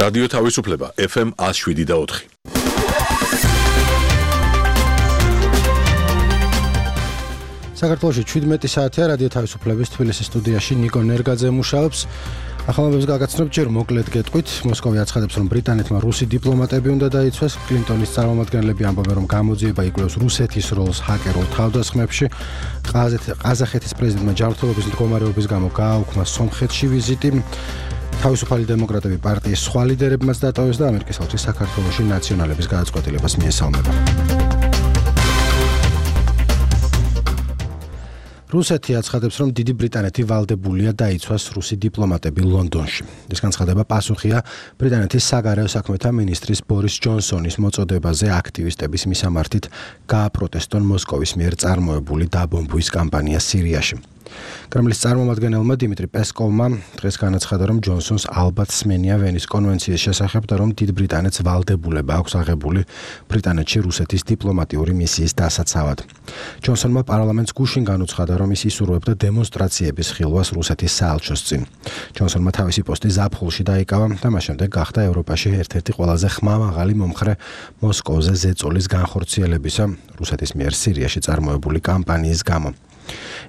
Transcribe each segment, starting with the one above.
რადიო თავისუფლება FM 107.4. საქართველოში 17 საათია რადიო თავისუფლების თბილისის სტუდიაში ნიკო ნერგაძე მუშაობს. ახალმოებებს გაგაცნობ ჯერ მოკლედ გეტყვით. მოსკოვი აცხადებს, რომ ბრიტანეთმა რუსი დიპლომატები უნდა დაიცვას. კლინტონის წარმომადგენლები ამბობენ, რომ გამოძიება იკვლევს რუსეთის როლს ჰაკერულ თავდასხმებში. ყაზახეთის პრეზიდენტმა ჯანმრთელობის მდგომარეობის გამო გააუქმა სომხეთში ვიზიტი. თავისუფალი დემოკრატები პარტიის სხვა ლიდერებმაც დატოვეს და ამერიკის საელჩი საქართველოში ნაციონალების გადაწყვეტილებას მიესალმება. რუსეთი აცხადებს, რომ დიდი ბრიტანეთი ვალდებულია დაიცვას რუსი დიპლომატები ლონდონში. ეს განცხადება პასუხია ბრიტანეთის საგარეო საქმეთა მინისტრის ბორის ჯონსონის მოწოდებაზე აქტივისტების მისამართით გააპროტესტონ მოსკოვის მიერ წარმოებული დაბომბვის კამპანია სირიაში. კრემლის წარმომადგენელმა დიმიტრი პესკოვმა დღეს განაცხადა, რომ ჯონსონს ალბათ სმენია ვენის კონვენციის შესახებ და რომ დიდ ბრიტანეთს ვალდებულება აქვს აღებული ბრიტანეთში რუსეთის დიპლომატიური მისიის დასაცავად. ჯონსონმა პარლამენტს გუშინ განუცხადა, რომ ის ისურვებდა დემონსტრაციების ხილვას რუსეთის საელჩოს წინ. ჯონსონმა თავისი პოსტი ზაფხულში დაიკავა და მას შემდეგ გახდა ევროპაში ერთ-ერთი ყველაზე ხმამაღალი მომხრე მოსკოვზე ზეწოლის განხორციელებისა რუსეთის მიერ სირიაში წარმოებული კამპანიის გამო.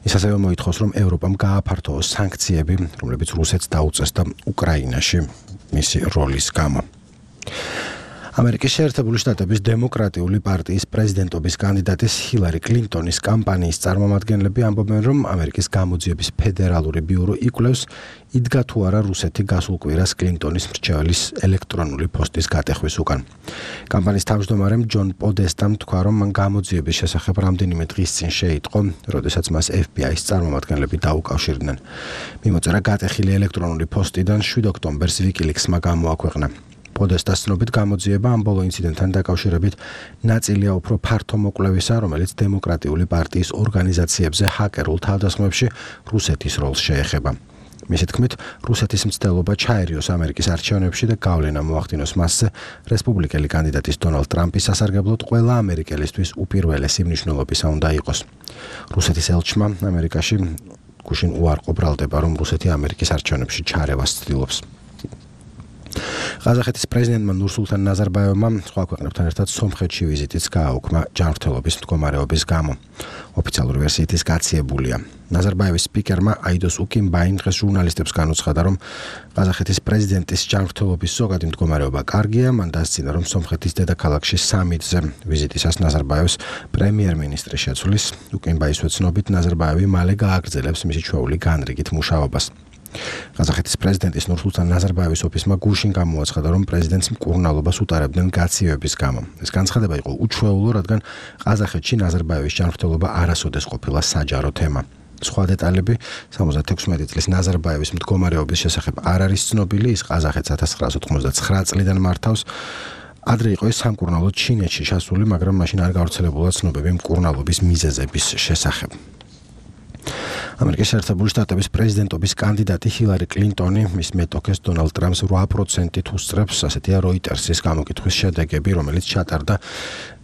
ის ასევე მოითხოვს, რომ ევროპამ გააფართოოს სანქციები, რომლებიც რუსეთს დაუწესდა უკრაინაში მისი როლის გამო. ამერიკის შეერთებული შტატების დემოკრატიული პარტიის პრეზიდენტობის კანდიდატის ჰილარი კლინტონის კამპანიის წარმომადგენლები ამბობენ, რომ ამერიკის გამოძიების ფედერალური ბიურო იკვლევს, იდგა თუ არა რუსეთი გასულ კვირას კლინტონის მრჩეველის ელექტრონული პოსტის გატეხვის უკან. კამპანიის თავმჯდომარემ ჯონ პოდესტამ თქვა, რომ მან გამოძიების შესახებ რამდენიმე დღის წინ შეიტყო, როდესაც მას FBI-ის წარმომადგენლები დაუკავშირდნენ. მიმოწერა გატეხილი ელექტრონული პოსტიდან 7 ოქტომბერს WikiLeaks-მა გამოაქვეყნა. პოდესტას ცნობით გამოძიება ამ ბოლო ინციდენტთან დაკავშირებით ნაწილია უფრო ფართო მოკვლევისა, რომელიც დემოკრატიული პარტიის ორგანიზაციებზე ჰაკერულ თავდასხმებში რუსეთის როლს შეეხება. მისი თქმით, რუსეთის მცდელობა ჩაერიოს ამერიკის არჩევნებში და გავლენა მოახდინოს მასზე რესპუბლიკელი კანდიდატის დონალდ ტრამპის სასარგებლოდ ყველა ამერიკელისთვის უპირველესი მნიშვნელობისა უნდა იყოს. რუსეთის ელჩმა ამერიკაში გუშინ უარყო ბრალდება, რომ რუსეთი ამერიკის არჩევნებში ჩარევას ცდილობს. ყაზახეთის პრეზიდენტმა ნურსულთან ნაზარბაევმა სხვა ქვეყნებთან ერთად სომხეთში ვიზიტიც გააუქმა ჯანმრთელობის მდგომარეობის გამო. ოფიციალური ვერსიით ის გაციებულია. ნაზარბაევის სპიკერმა აიდოს უკიმბაიმ დღეს ჟურნალისტებს განუცხადა, რომ ყაზახეთის პრეზიდენტის ჯანმრთელობის ზოგადი მდგომარეობა კარგია. მან დასცინა, რომ სომხეთის დედაქალაქში სამიტზე ვიზიტისას ნაზარბაევს პრემიერ-მინისტრი შეცვლის. უკიმბაის ვეცნობით ნაზარბაევი მალე გააგრძელებს მისი ჩვეული განრიგით მუშაობას. ყაზახეთის პრეზიდენტის ნურსულთან ნაზარბაევის ოფისმა გუშინ გამოაცხადა, რომ პრეზიდენტს მკურნალობას უტარებდნენ გაციოების გამო. ეს განცხადება იყო უჩვეულო, რადგან ყაზახეთში ნაზარბაევის ჯანმრთელობა არასოდეს ყოფილა საჯარო თემა. სხვა დეტალები 76 წლის ნაზარბაევის მდგომარეობის შესახებ არ არის ცნობილი. ის ყაზახეთს 1999 წლიდან მართავს. ადრე იყო ის სამკურნალოდ ჩინეთში ჩასული, მაგრამ მაშინ არ გავრცელებულა ცნობები მკურნალობის მიზეზების შესახებ. ამერიკის შეერთებული შტატების პრეზიდენტობის კანდიდატი ჰილარი კლინტონი მის მეტოქეს დონალდ ტრამპს 8%-ით უსწრებს, ასეთია როიტერსის გამოკითხვის შედეგები, რომელიც ჩატარდა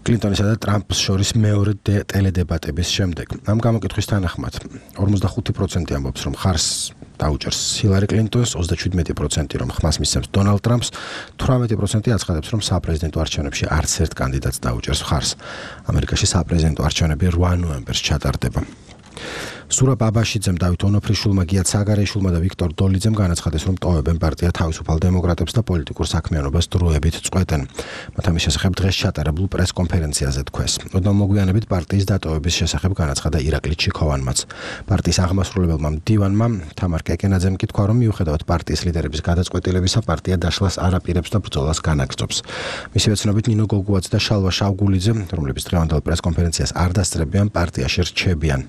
კლინტონისა და ტრამპს შორის მეორე ტელედებატების შემდეგ. ამ გამოკითხვის თანახმად 45% ამბობს, რომ ხარს დაუჭერს ჰილარი კლინტონს, 37% რომ ხმას მისცემს დონალდ ტრამპს, 18% აცხადებს, რომ საპრეზიდენტო არჩევნებში არც ერთ კანდიდატს დაუჭერს ხარს. ამერიკაში საპრეზიდენტო არჩევნები 8 ნოემბერს ჩატარდება. სურაბ აბაშიძემ, დავით ონოფრიშვილმა, გიათ საგარეიშვილმა და ვიქტორ დოლიძემ განაცხადეს, რომ ტოვებენ პარტია თავისუფალ დემოკრატებს და პოლიტიკურ საქმიანობას დროებით წყვეტენ. მათ ამის შესახებ დღეს ჩატარებულ პრესკონფერენციაზე თქვეს. ოდნავ-მოგვიანებით პარტიის დატოვების შესახებ განაცხადა ირაკლი ჩიქოვანმაც. პარტიის აღმასრულებელმა მდივანმა თამარ კეკენაძემ კი თქვა, რომ მიუხედავად პარტიის ლიდერების გადაწყვეტილებისა, პარტია დაშლას არ აპირებს და ბრძოლას განაგრძობს. მისი ვეცნობით ნინო გოგუაძე და შალვა შავგულიძე, რომლებიც დღევანდელ პრესკონფერენციას არ დასწრებიან, პარტიაში რჩებიან.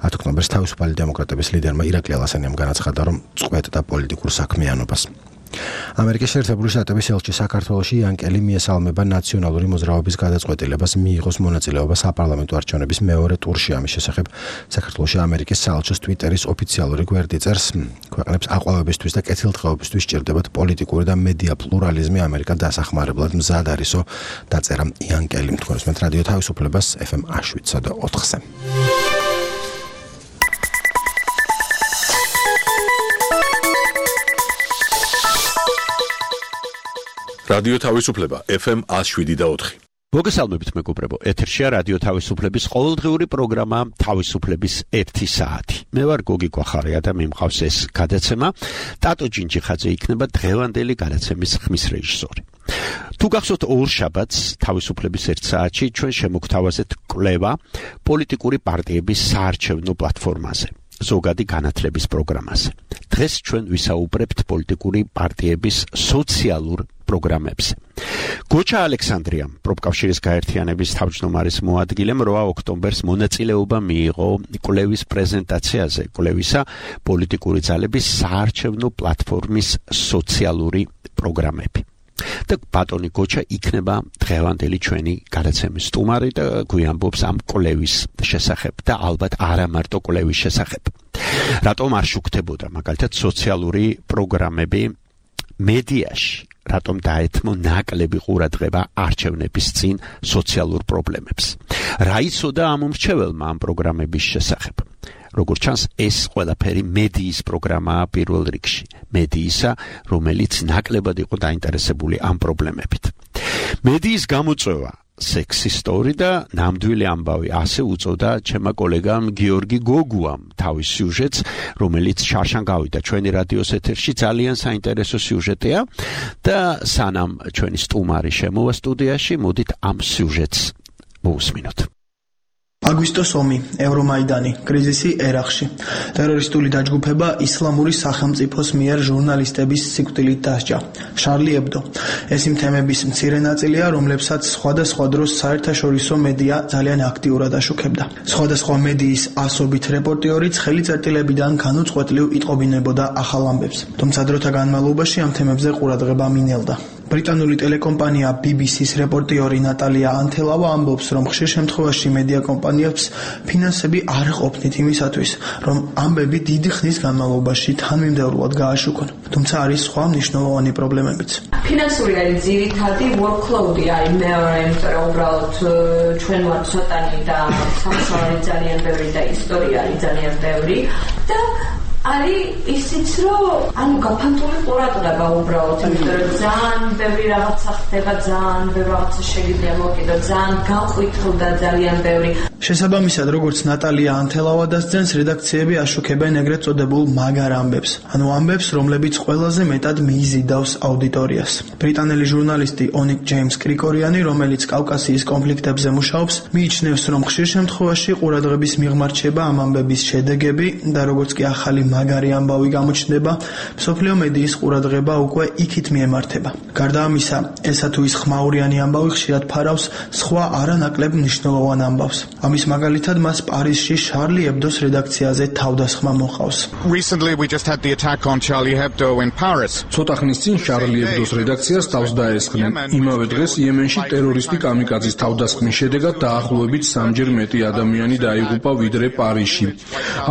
10 ოქტომბერს თავისუფალი დემოკრატების ლიდერმა ირაკლი ალასანიამ განაცხადა, რომ წყვეტდა პოლიტიკურ საქმიანობას. ამერიკის შეერთებული შტატების ელჩი საქართველოში იანკელი მიესალმება ნაციონალური მოძრაობის გადაწყვეტილებას მიიღოს მონაწილეობა საპარლამენტო არჩევნების მეორე ტურში. ამის შესახებ საქართველოში ამერიკის საელჩოს ტვიტერის ოფიციალური გვერდი წერს, ქვეყნებს აყვავებისთვის და კეთილდღეობისთვის სჭირდებათ პოლიტიკური და მედია პლურალიზმი, ამერიკა დასახმარებლად მზად არისო, დაწერა იანკელი. თქვენს მე რადიო თავისუფლებას FM 107.4-ზე. რადიო თავისუფლება FM 107.4. მოგესალმებით მეგობრებო, ეთერშია რადიო თავისუფლების ყოველდღიური პროგრამა თავისუფლების 1 საათი. მე ვარ გოგი კვახარია და მიმყავს ეს გადაცემა. ტატო ჯინჯიხაძე იქნება დღევანდელი გადაცემის ხმის რეჟისორი. თუ გახსოვთ ორშაბათს თავისუფლების 1 საათში ჩვენ შემოგთავაზეთ კვლევა პოლიტიკური პარტიების საარჩევნო პლატფორმაზე. ზოგადი განათლების პროგრამაზე. დღეს ჩვენ ვისაუბრებთ პოლიტიკური პარტიების სოციალურ პროგრამებზე. გოჩა ალექსანდრიამ, პროფკავშირის გაერთიანების თავმჯდომარის მოადგილემ 8 ოქტომბერს მონაწილეობა მიიღო კვლევის პრეზენტაციაზე, კვლევისა პოლიტიკური ძალების საარჩევნო პლატფორმის სოციალური პროგრამები. და ბატონი გოჩა იქნება დღევანდელი ჩვენი გადაცემის სტუმარი და გვიამბობს ამ კვლევის შესახებ და ალბათ არა მარტო კვლევის შესახებ. რატომ არ შუქდებოდა მაგალითად სოციალური პროგრამები მედიაში, რატომ დაეთმო ნაკლები ყურადღება არჩევნების წინ სოციალურ პრობლემებს. რა იცოდა ამ მრჩეველმა ამ პროგრამების შესახებ? როგორც ჩანს, ეს ყველაფერი მედიის პროგრამაა პირველ რიგში. მედიისა, რომელიც ნაკლებად იყო დაინტერესებული ამ პრობლემებით. მედიის გამოწვევა სექსისტური და ნამდვილი ამბავი ასე უწოდა ჩემმა კოლეგამ გიორგი გოგუამ თავის სიუჟეტს, რომელიც შარშან გავიდა ჩვენი რადიოს ეთერში. ძალიან საინტერესო სიუჟეტია და სანამ ჩვენი სტუმარი შემოვა სტუდიაში, მოდით ამ სიუჟეტს მოусმინოთ. აგვისტოს ომი, ევრომაიდანი, კრიზისი ერაყში, ტერორისტული დაჯგუფება ისლამური სახელმწიფოს მიერ ჟურნალისტების სიკვდილით დასჯა, შარლი ებდო. ეს იმ თემების მცირე ნაწილია, რომლებსაც სხვადასხვა დროს საერთაშორისო მედია ძალიან აქტიურად აშუქებდა. სხვადასხვა მედიის ასობით რეპორტიორიც ხელიწერტილებიდან განუწყვეტლივ იტყობინებოდა ახალ ამბებს. თუმცა დროთა განმავლობაში ამ თემებზე ყურადღება მინელდა. ბრიტანული ტელეკომპანია BBC-ს რეპორტიორი ნატალია ანთელავა ამბობს, რომ ხშირ შემთხვევაში მედია კომპანიებს ფინანსები არ ყოფნით იმისათვის, რომ ამბები დიდი ხნის განმავლობაში თანმიმდევრულად გააშუქონ. თუმცა არის სხვა მნიშვნელოვანი პრობლემებიც. ფინანსური არის ძირითადი workload-ი არის მეორე, იმიტომ რომ უბრალოდ ჩვენ ვართ ცოტანი და სამშობლოში ძალიან ბევრი და ისტორია არის ძალიან ბევრი და არის ისიც რომ ანუ გაფანტული ყურადღება უბრალოდ, იმიტომ რომ ძალიან ბევრი რაღაცა ხდება, ძალიან ბევრი რაღაცა შეგიძლია მოვკიდო, ძალიან განყვითლდა ძალიან ბევრი. შესაბამისად, როგორც ნატალია ანთელავა დასძენს, რედაქციები აშუქებენ ეგრეთ წოდებულ მაგარ ამბებს, ანუ ამბებს, რომლებიც ყველაზე მეტად მიიზიდავს აუდიტორიას. ბრიტანელი ჟურნალისტი ონიკ ჯეიმს კრიკორიანი, რომელიც კავკასიის კონფლიქტებზე მუშაობს, მიიჩნევს, რომ ხშირ შემთხვევაში ყურადღების მიღმარჩება ამ ამბების შედეგები და როგორც კი ახალი მაგარი ამბავი გამოჩნდება, მსოფლიო მედიის ყურადღება უკვე იქით მიემართება. გარდა ამისა, ესა თუ ის ხმაურიანი ამბავი ხშირად ფარავს სხვა არანაკლებ მნიშვნელოვან ამბავს. ამის მაგალითად მას პარიზში შარლი ებდოს რედაქციაზე თავდასხმა მოჰყავს. Recently we just had the attack on Charlie Hebdo in Paris. ცოტა ხნის წინ შარლი ებდოს რედაქციას თავს დაესხნენ. იმავე დღეს იემენში ტერორისტი კამიკაძის თავდასხმის შედეგად დაახლოებით 3-ჯერ მეტი ადამიანი დაიღუპა ვიდრე პარიზში.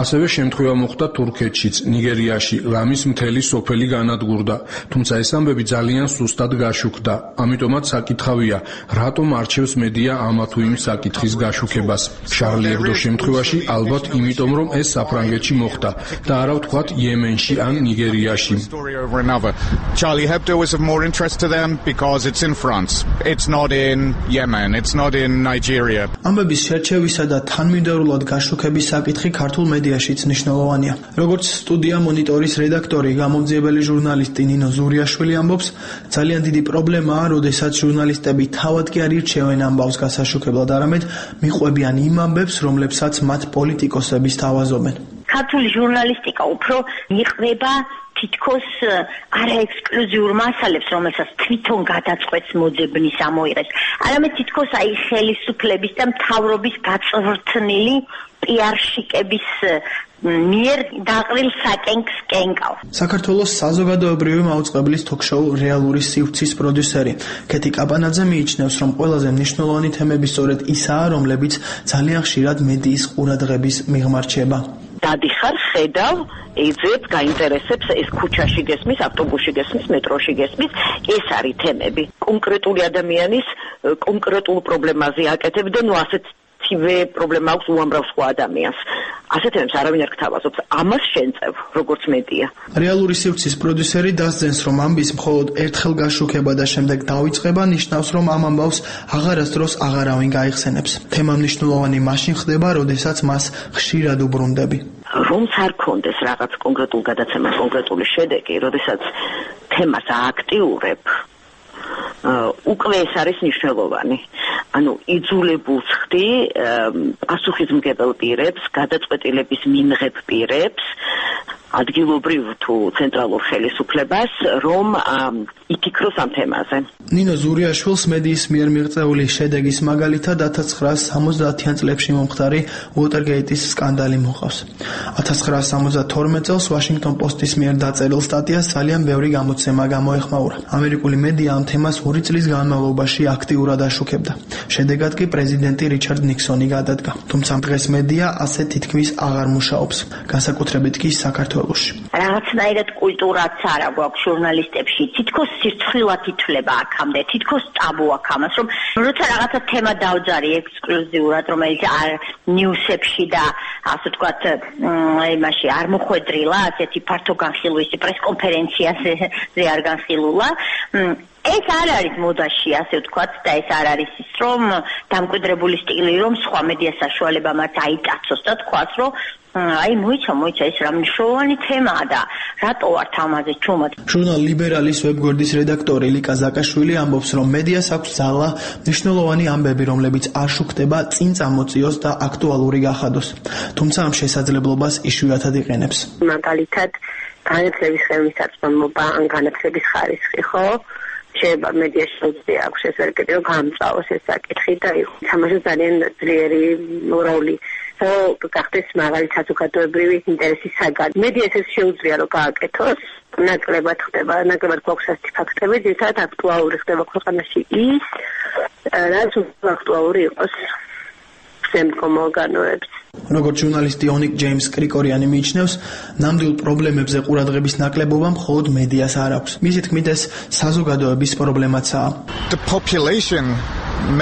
ასევე შემთხვევა მოხდა თურქეთშიც, ნიგერიაში, რამის მთელი სოფელი განადგურდა. თუმცა ეს ამბები ძალიან სუსტად გაშუქდა. ამიტომაც საკითხავია, რატომ არჩევს მედია ამა თუ იმ საკითხის გაშუქებას. შარლი ებდოს შემთხვევაში ალბათ იმიტომ, რომ ეს საფრანგეთში მოხდა და არა ვთქვათ იემენში ან ნიგერიაში. Charlie Hebdo is of more interest to them because it's in France. It's not in Yemen, it's not in Nigeria. ამბების შერჩევისა და თანმიმდევრულად გაშუქების საკითხი ქართულ მედიაშიც მნიშვნელოვანია. როგორც სტუდია მონიტორის რედაქტორი, გამომძიებელი ჟურნალისტი ნინო ზურიაშვილი ამბობს, ძალიან დიდი პრობლემაა, როდესაც ჟურნალისტები თავად კი არ ირჩევენ ამბავს გასაშუქებლად, არამედ მიყვებიან იმ ამბებს, რომლებსაც მათ პოლიტიკოსები სთავაზობენ. ქართული ჟურნალისტიკა უფრო იყრება თითქოს არაექსკლუზიურ მასალებს, რომელსაც თვითონ გადაწყვეტს მოძებნის ამოიღებს, არამედ თითქოს აი ხელისუფლების და მთავრობის გაწვრთნილი პიარშიკების მიერ დაყრილ საკენკს კენკავს. საქართველოს საზოგადოებრივი მაუწყებლის თოქ-შოუ რეალური სივრცის პროდიუსერი ქეთი კაპანაძე მიიჩნევს, რომ ყველაზე მნიშვნელოვანი თემები სწორედ ისაა, რომლებიც ძალიან ხშირად მედიის ყურადღების მიღმარჩება. დადიხარ, ხედავ, ეძებ, გაინტერესებს, ეს ქუჩაში გესმის, ავტობუსში გესმის, მეტროში გესმის, ეს არის თემები. კონკრეტული ადამიანის კონკრეტულ პრობლემაზე აკეთებ და ნუ ასეთივე პრობლემა აქვს უამრავ სხვა ადამიანს. ასეთ თემებს არავინ არ გთავაზობს. ამას შენწევ, როგორც მედია. რეალური სივრცის პროდიუსერი დასძენს, რომ ამბის მხოლოდ ერთხელ გაშუქება და შემდეგ დავიწყება ნიშნავს, რომ ამ ამბავს აღარასდროს აღარავინ გაიხსენებს. თემა მნიშვნელოვანი მაშინ ხდება, როდესაც მას ხშირად უბრუნდები. რომც არ კონდეს რაღაც კონკრეტულ გადაცემას კონკრეტული შედეგი, როდესაც თემას ააქტიურებ, უკვე ეს არის მნიშვნელოვანი. ანუ იძულებულს ხდი პასუხისმგებელ პირებს, გადაწყვეტილების მიმღებ პირებს, ადგილობრივ თუ ცენტრალურ ხელისუფლებას, რომ იფიქროს ამ თემაზე. ნინო ზურიაშვილს მედიის მიერ მიღწეული შედეგის მაგალითად 1970-იან წლებში მომხდარი უოტერგეიტის სკანდალი მოყავს. 1972 წელს ვაშინგტონ პოსტის მიერ დაწერილ სტატიას ძალიან ბევრი გამოცემა გამოეხმაურა. ამერიკული მედია ამ თემას 2 წლის განმავლობაში აქტიურად აშუქებდა. შედეგად კი პრეზიდენტი რიჩარდ ნიქსონი გადადგა. თუმცა დღეს მედია ასე თითქმის აღარ მუშაობს, განსაკუთრებით კი საქართველოში. რაღაცნაირად კულტურაც არა გვაქვს ჟურნალისტებში, თითქოს სირცხვილად ითვლება აქამდე, თითქოს ტაბუ აქვს ამას, რომ როცა რაღაცა თემა დავძარი ექსკლუზიურად, რომელიც არ ნიუსებში და ასე ვთქვათ, იმაში არ მოხვედრილა, ასეთი ფართო განხილვის პრესკონფერენციაზე არ განხილულა. ეს არ არის მოდაში, ასე ვთქვათ, და ეს არ არის ის, რომ დამკვიდრებული სტილი, რომ სხვა მედია საშუალება მათ აიტაცოს და თქვას, რომ აი მოიცა ეს რა მნიშვნელოვანი თემაა და რატო ვართ ამაზე ჩუმად. ჟურნალ ლიბერალის ვებგვერდის რედაქტორი ლიკა ზაკაშვილი ამბობს, რომ მედიას აქვს ძალა მნიშვნელოვანი ამბები, რომლებიც არ შუქდება, წინ წამოწიოს და აქტუალური გახადოს. თუმცა ამ შესაძლებლობას იშვიათად იყენებს. მაგალითად, განათლების ხელმისაწვდომობა ან განათლების ხარისხი, ხო? შეიძლება მედიაში შეუძლია აქვს ეს ვერკეტი, რომ გამწვავოს ეს საკითხი და თამაშობს ძალიან ძლიერი როლი. გახდეს მაღალი საზოგადოებრივი ინტერესის საგანი. მედიას ეს შეუძლია, რომ გააკეთოს, ნაკლებად ხდება, ნაკლებად გვაქვს ასეთი ფაქტები, ძირითადად აქტუალური ხდება ქვეყანაში ის, რაც აქტუალური იყოს შემდგომ ორგანოებს. როგორც ჟურნალისტი ონიკ ჯეიმს კრიკორიანი მიიჩნევს, ნამდვილ პრობლემებზე ყურადღების ნაკლებობა მხოლოდ მედიას არ აქვს. მისი თქმით, ეს საზოგადოების პრობლემაცაა. The population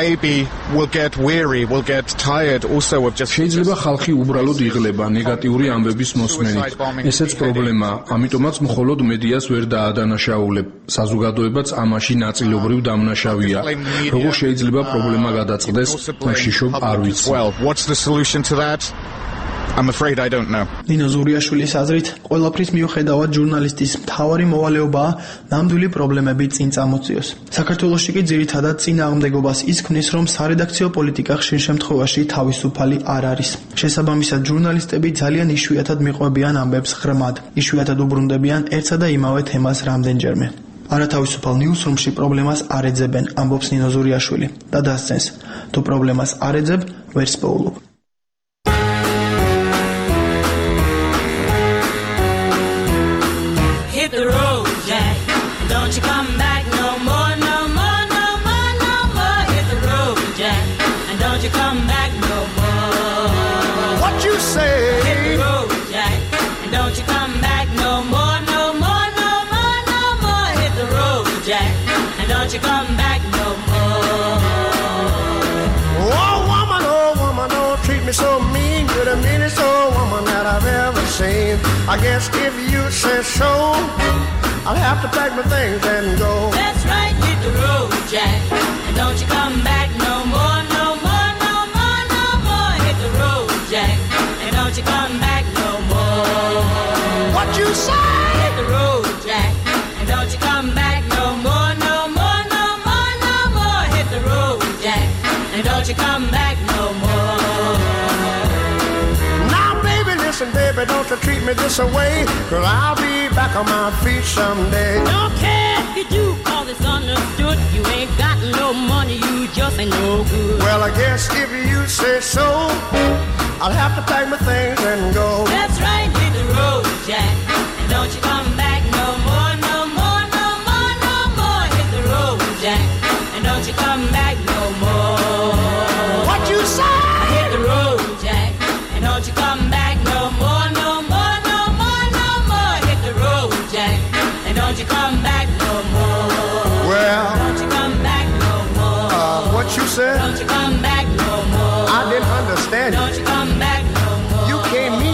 maybe will get weary, will get tired also of just შეიძლება ხალხი უბრალოდ იღლება ნეგატიური ამბების მოსმენით. ესეც პრობლემაა, ამიტომაც მხოლოდ მედიას ვერ დაადანაშაულებ. საზოგადოებაც ამაში ნაწილობრივ დამნაშავეა. როგორ შეიძლება პრობლემა გადაწყდეს, მაშიშობ არ ვიცი. Well, what's the solution to that? I'm afraid I don't know. ნინო ზურიაშვილის აზრით, ყველაფრის მიუხედავად ჟურნალისტის მთავარი მოვალეობაა ნამდვილი პრობლემები წინ წამოწიოს. საქართველოში კი ძირითადად წინააღმდეგობას ის ქმნის, რომ სარედაქციო პოლიტიკა ხშირ შემთხვევაში თავისუფალი არ არის. შესაბამისად, ჟურნალისტები ძალიან იშვიათად მიყვებიან ამბებს ღრმად, იშვიათად უბრუნდებიან ერთსა და იმავე თემას რამდენჯერმე. არათავისუფალ ნიუსრუმში პრობლემას არ ეძებენ, ამბობს ნინო ზურიაშვილი და დასცენს, თუ პრობლემას არ ეძებ, ვერც პოულობ. So mean, you're the meanest old woman that I've ever seen. I guess if you say so, I'll have to pack my things and go. That's right, hit the road, Jack, and don't you come back no more, no more, no more, no more. Hit the road, Jack, and don't you come back no more. What you say? Hit the road, Jack, and don't you come back no more, no more, no more, no more. Hit the road, Jack, and don't you come back no more. Listen, baby, don't you treat me this way, 'cause I'll be back on my feet someday. Don't care if you do, 'cause it's understood. You ain't got no money, you just ain't no good. Well, I guess if you say so, I'll have to pack my things and go. That's right, hit the road, Jack, and don't you come back no more, no more, no more, no more. Hit the road, Jack, and don't you come back no more. What you say? Hit the road, Jack, and don't you come back no more, no more, no more, no more. Hit the road, Jack, and don't you come back no more. Well, don't you come back no more. What you said? Don't you come back no more. I didn't understand. Don't you come back no more. You can't mean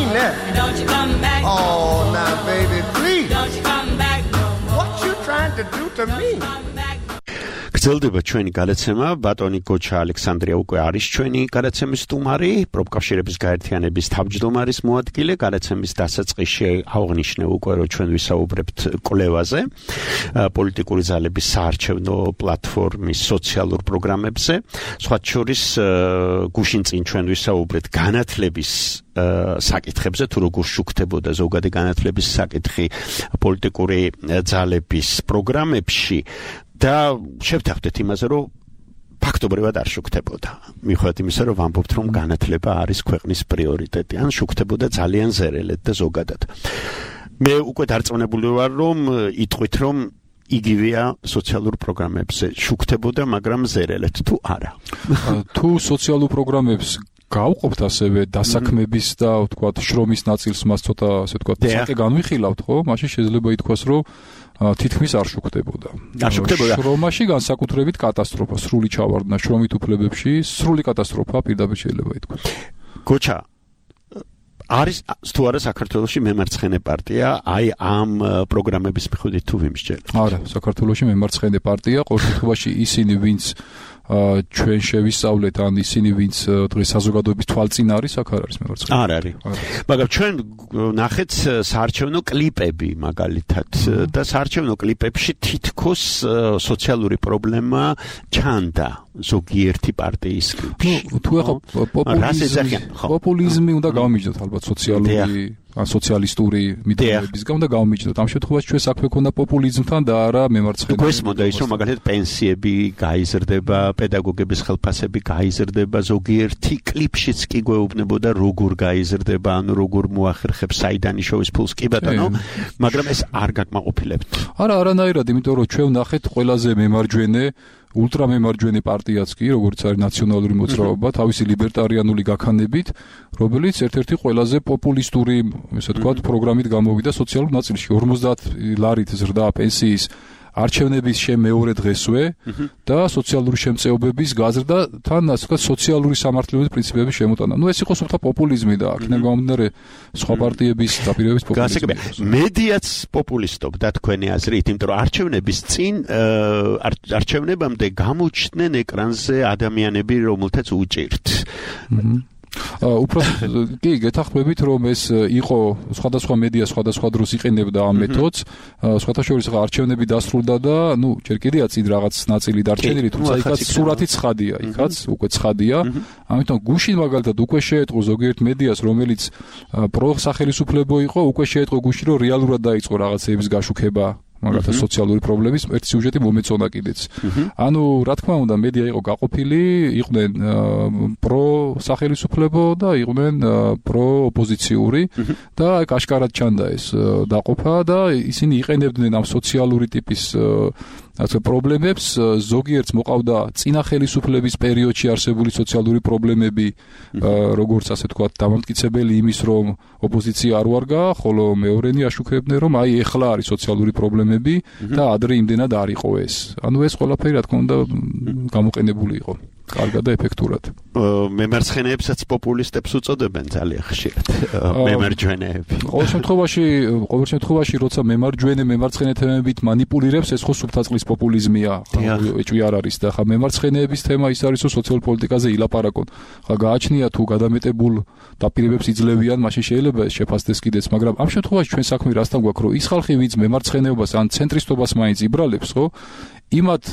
Oh, now, baby, please. Don't you come back no more. What you trying to do to me? გრძელდება ჩვენი გადაცემა ბატონი გოჩა ალექსანდრია უკვე არის ჩვენი გადაცემის სტუმარი პროფკავშირების გაერთიანების თავმჯდომარის მოადგილე გადაცემის დასაწყისში აღნიშნე უკვე რომ ჩვენ ვისაუბრებთ კვლევაზე პოლიტიკური ძალების საარჩევნო პლატფორმის სოციალურ პროგრამებზე სხვა შორის გუშინ წინ ჩვენ ვისაუბრეთ განათლების საკითხებზე თუ როგორ შუქდებოდა ზოგადი განათლების საკითხი პოლიტიკური ძალების პროგრამებში და შევთანხმდეთ იმაზე, რომ ფაქტობრივად არ შუქდებოდა. მიუხედავად იმისა, რომ ვამბობთ, რომ განათლება არის ქვეყნის პრიორიტეტი, ან შუქდებოდა ძალიან ზერელად და ზოგადად. მე უკვე დარწმუნებული ვარ, რომ იტყვით, რომ იგივეა სოციალურ პროგრამებზე შუქდებოდა, მაგრამ ზერელად თუ არა. თუ სოციალურ პროგრამებს გავყოფთ ასევე დასაქმების და ვთქვათ შრომის ნაწილს მას ცოტა ასე ვთქვათ საკე განვიხილავთ, ხო? მაშინ შეიძლება ითქვას, რომ თითქმის არ შუქდებოდა. შრომაში განსაკუთრებით კატასტროფა, სრული ჩავარდნა შრომით უფლებებში, სრული კატასტროფა პირდაპირ შეიძლება ითქვას. გოჩა არის თუ არა საქართველოში მემარცხენე პარტია, აი ამ პროგრამების მიხედვით თუ ვიმსჯელოთ. არა, საქართველოში მემარცხენე პარტია, ყოველ შემთხვევაში ისინი, ვინც ჩვენ შევისწავლეთ ან ისინი ვინც დღეს საზოგადოების თვალწინ არის აქ არ არის მემარცხენე არ არის მაგრამ ჩვენ ნახეთ საარჩევნო კლიპები მაგალითად და საარჩევნო კლიპებში თითქოს სოციალური პრობლემა ჩანდა ზოგიერთი პარტიის კლიპში თუ ახლა პოპულიზმი უნდა გავმიჯდოთ ალბათ სოციალური ან სოციალისტური მიტოვებისგან უნდა გავმიჯდოთ ამ შემთხვევაში ჩვენ საქმე ქონდა პოპულიზმთან და არა მემარცხენე გვესმოდა ის რომ მაგალითად პენსიები გაიზრდება პედაგოგების ხელფასები გაიზრდება ზოგიერთი კლიპშიც კი გვეუბნებოდა როგორ გაიზრდება ან როგორ მოახერხებს საიდან შოვის ფულს კი ბატონო მაგრამ ეს არ გაკმაყოფილებთ არა არანაირად იმიტომ რომ ჩვენ ვნახეთ ყველაზე მემარჯვენე ულტრამემარჯვენე პარტიაც კი, როგორც არის ნაციონალური მოძრაობა, თავისი ლიბერტარიანული გაქანებით, რომელიც ერთ-ერთი ყველაზე პოპულისტური, ესე ვთქვათ, პროგრამით გამოვიდა სოციალურ ნაწილში. 50 ლარით ზრდა პენსიის არჩევნების მეორე დღესვე და სოციალური შემწეობების გაზრდა თან ასე ვთქვათ სოციალური სამართლიანობის პრინციპების შემოტანა. ეს იყო სულთა პოპულიზმი და აქედან გამომდინარე სხვა პარტიების დაპირებების პოპულიზმი. მედიაც პოპულისტობდა თქვენი აზრით, იმიტომ რომ არჩევნების წინ არჩევნებამდე გამოჩნდნენ ეკრანზე ადამიანები, რომელთაც უჭირთ. უბრალოდ კი გეთახმებით რომ ეს იყო სხვადასხვა მედია სხვადასხვა დროს იყენებდა ამ მეთოდს სხვათა შორის არჩევნები დასრულდა და ნუ ჯერ კიდეა წინ რაღაც ნაწილი დარჩენილი თუმცა იქაც სურათი ცხადია იქაც უკვე ცხადია ამიტომ გუშინ მაგალითად უკვე შეეტყო ზოგიერთ მედიას რომელიც პროსახელისუფლებო იყო უკვე შეეტყო გუშინ რომ რეალურად დაიწყო რაღაცეების გაშუქება მაგალითად სოციალური პრობლემის ერთი სიუჟეტი მომეწონა კიდეც. ანუ რა თქმა უნდა მედია იყო გაყოფილი, იყვნენ პროსახელისუფლებო და იყვნენ პროოპოზიციური და აი კაშკარად ჩანდა ეს დაყოფა და ისინი იყენებდნენ ამ სოციალური ტიპის ასე პრობლემებს ზოგიერთს მოყავდა წინა ხელისუფლების პერიოდში არსებული სოციალური პრობლემები როგორც ასე ვთქვათ დამამტკიცებელი იმის რომ ოპოზიცია არ ვარგა ხოლო მეორენი აშუქებდნენ რომ აი ეხლა არის სოციალური პრობლემები და ადრე იმდენად არ იყო ეს ანუ ეს ყველაფერი რა თქმა უნდა გამოყენებული იყო კარგად და ეფექტურად მემარცხენეებსაც პოპულისტებს უწოდებენ ძალიან ხშირად მემარჯვენეები ყოველ შემთხვევაში როცა მემარცხენე თემებით манипуლირებს ეს ხო სუფთაწყლის პოპულიზმია ეჭვი არ არის და ხა მემარცხენეების თემა ის არის რომ სოციალურ პოლიტიკაზე ილაპარაკონ ხა გააჩნია თუ გადამეტებულ დაპირებებს იძლევიან მაშინ შეიძლება ეს შეფასდეს კიდეც მაგრამ ამ შემთხვევაში ჩვენ საქმე რასთან გვაქვს რომ ის ხალხი ვინც მემარცხენეობას ან ცენტრისტობას მაინც იბრალებს ხო იმათ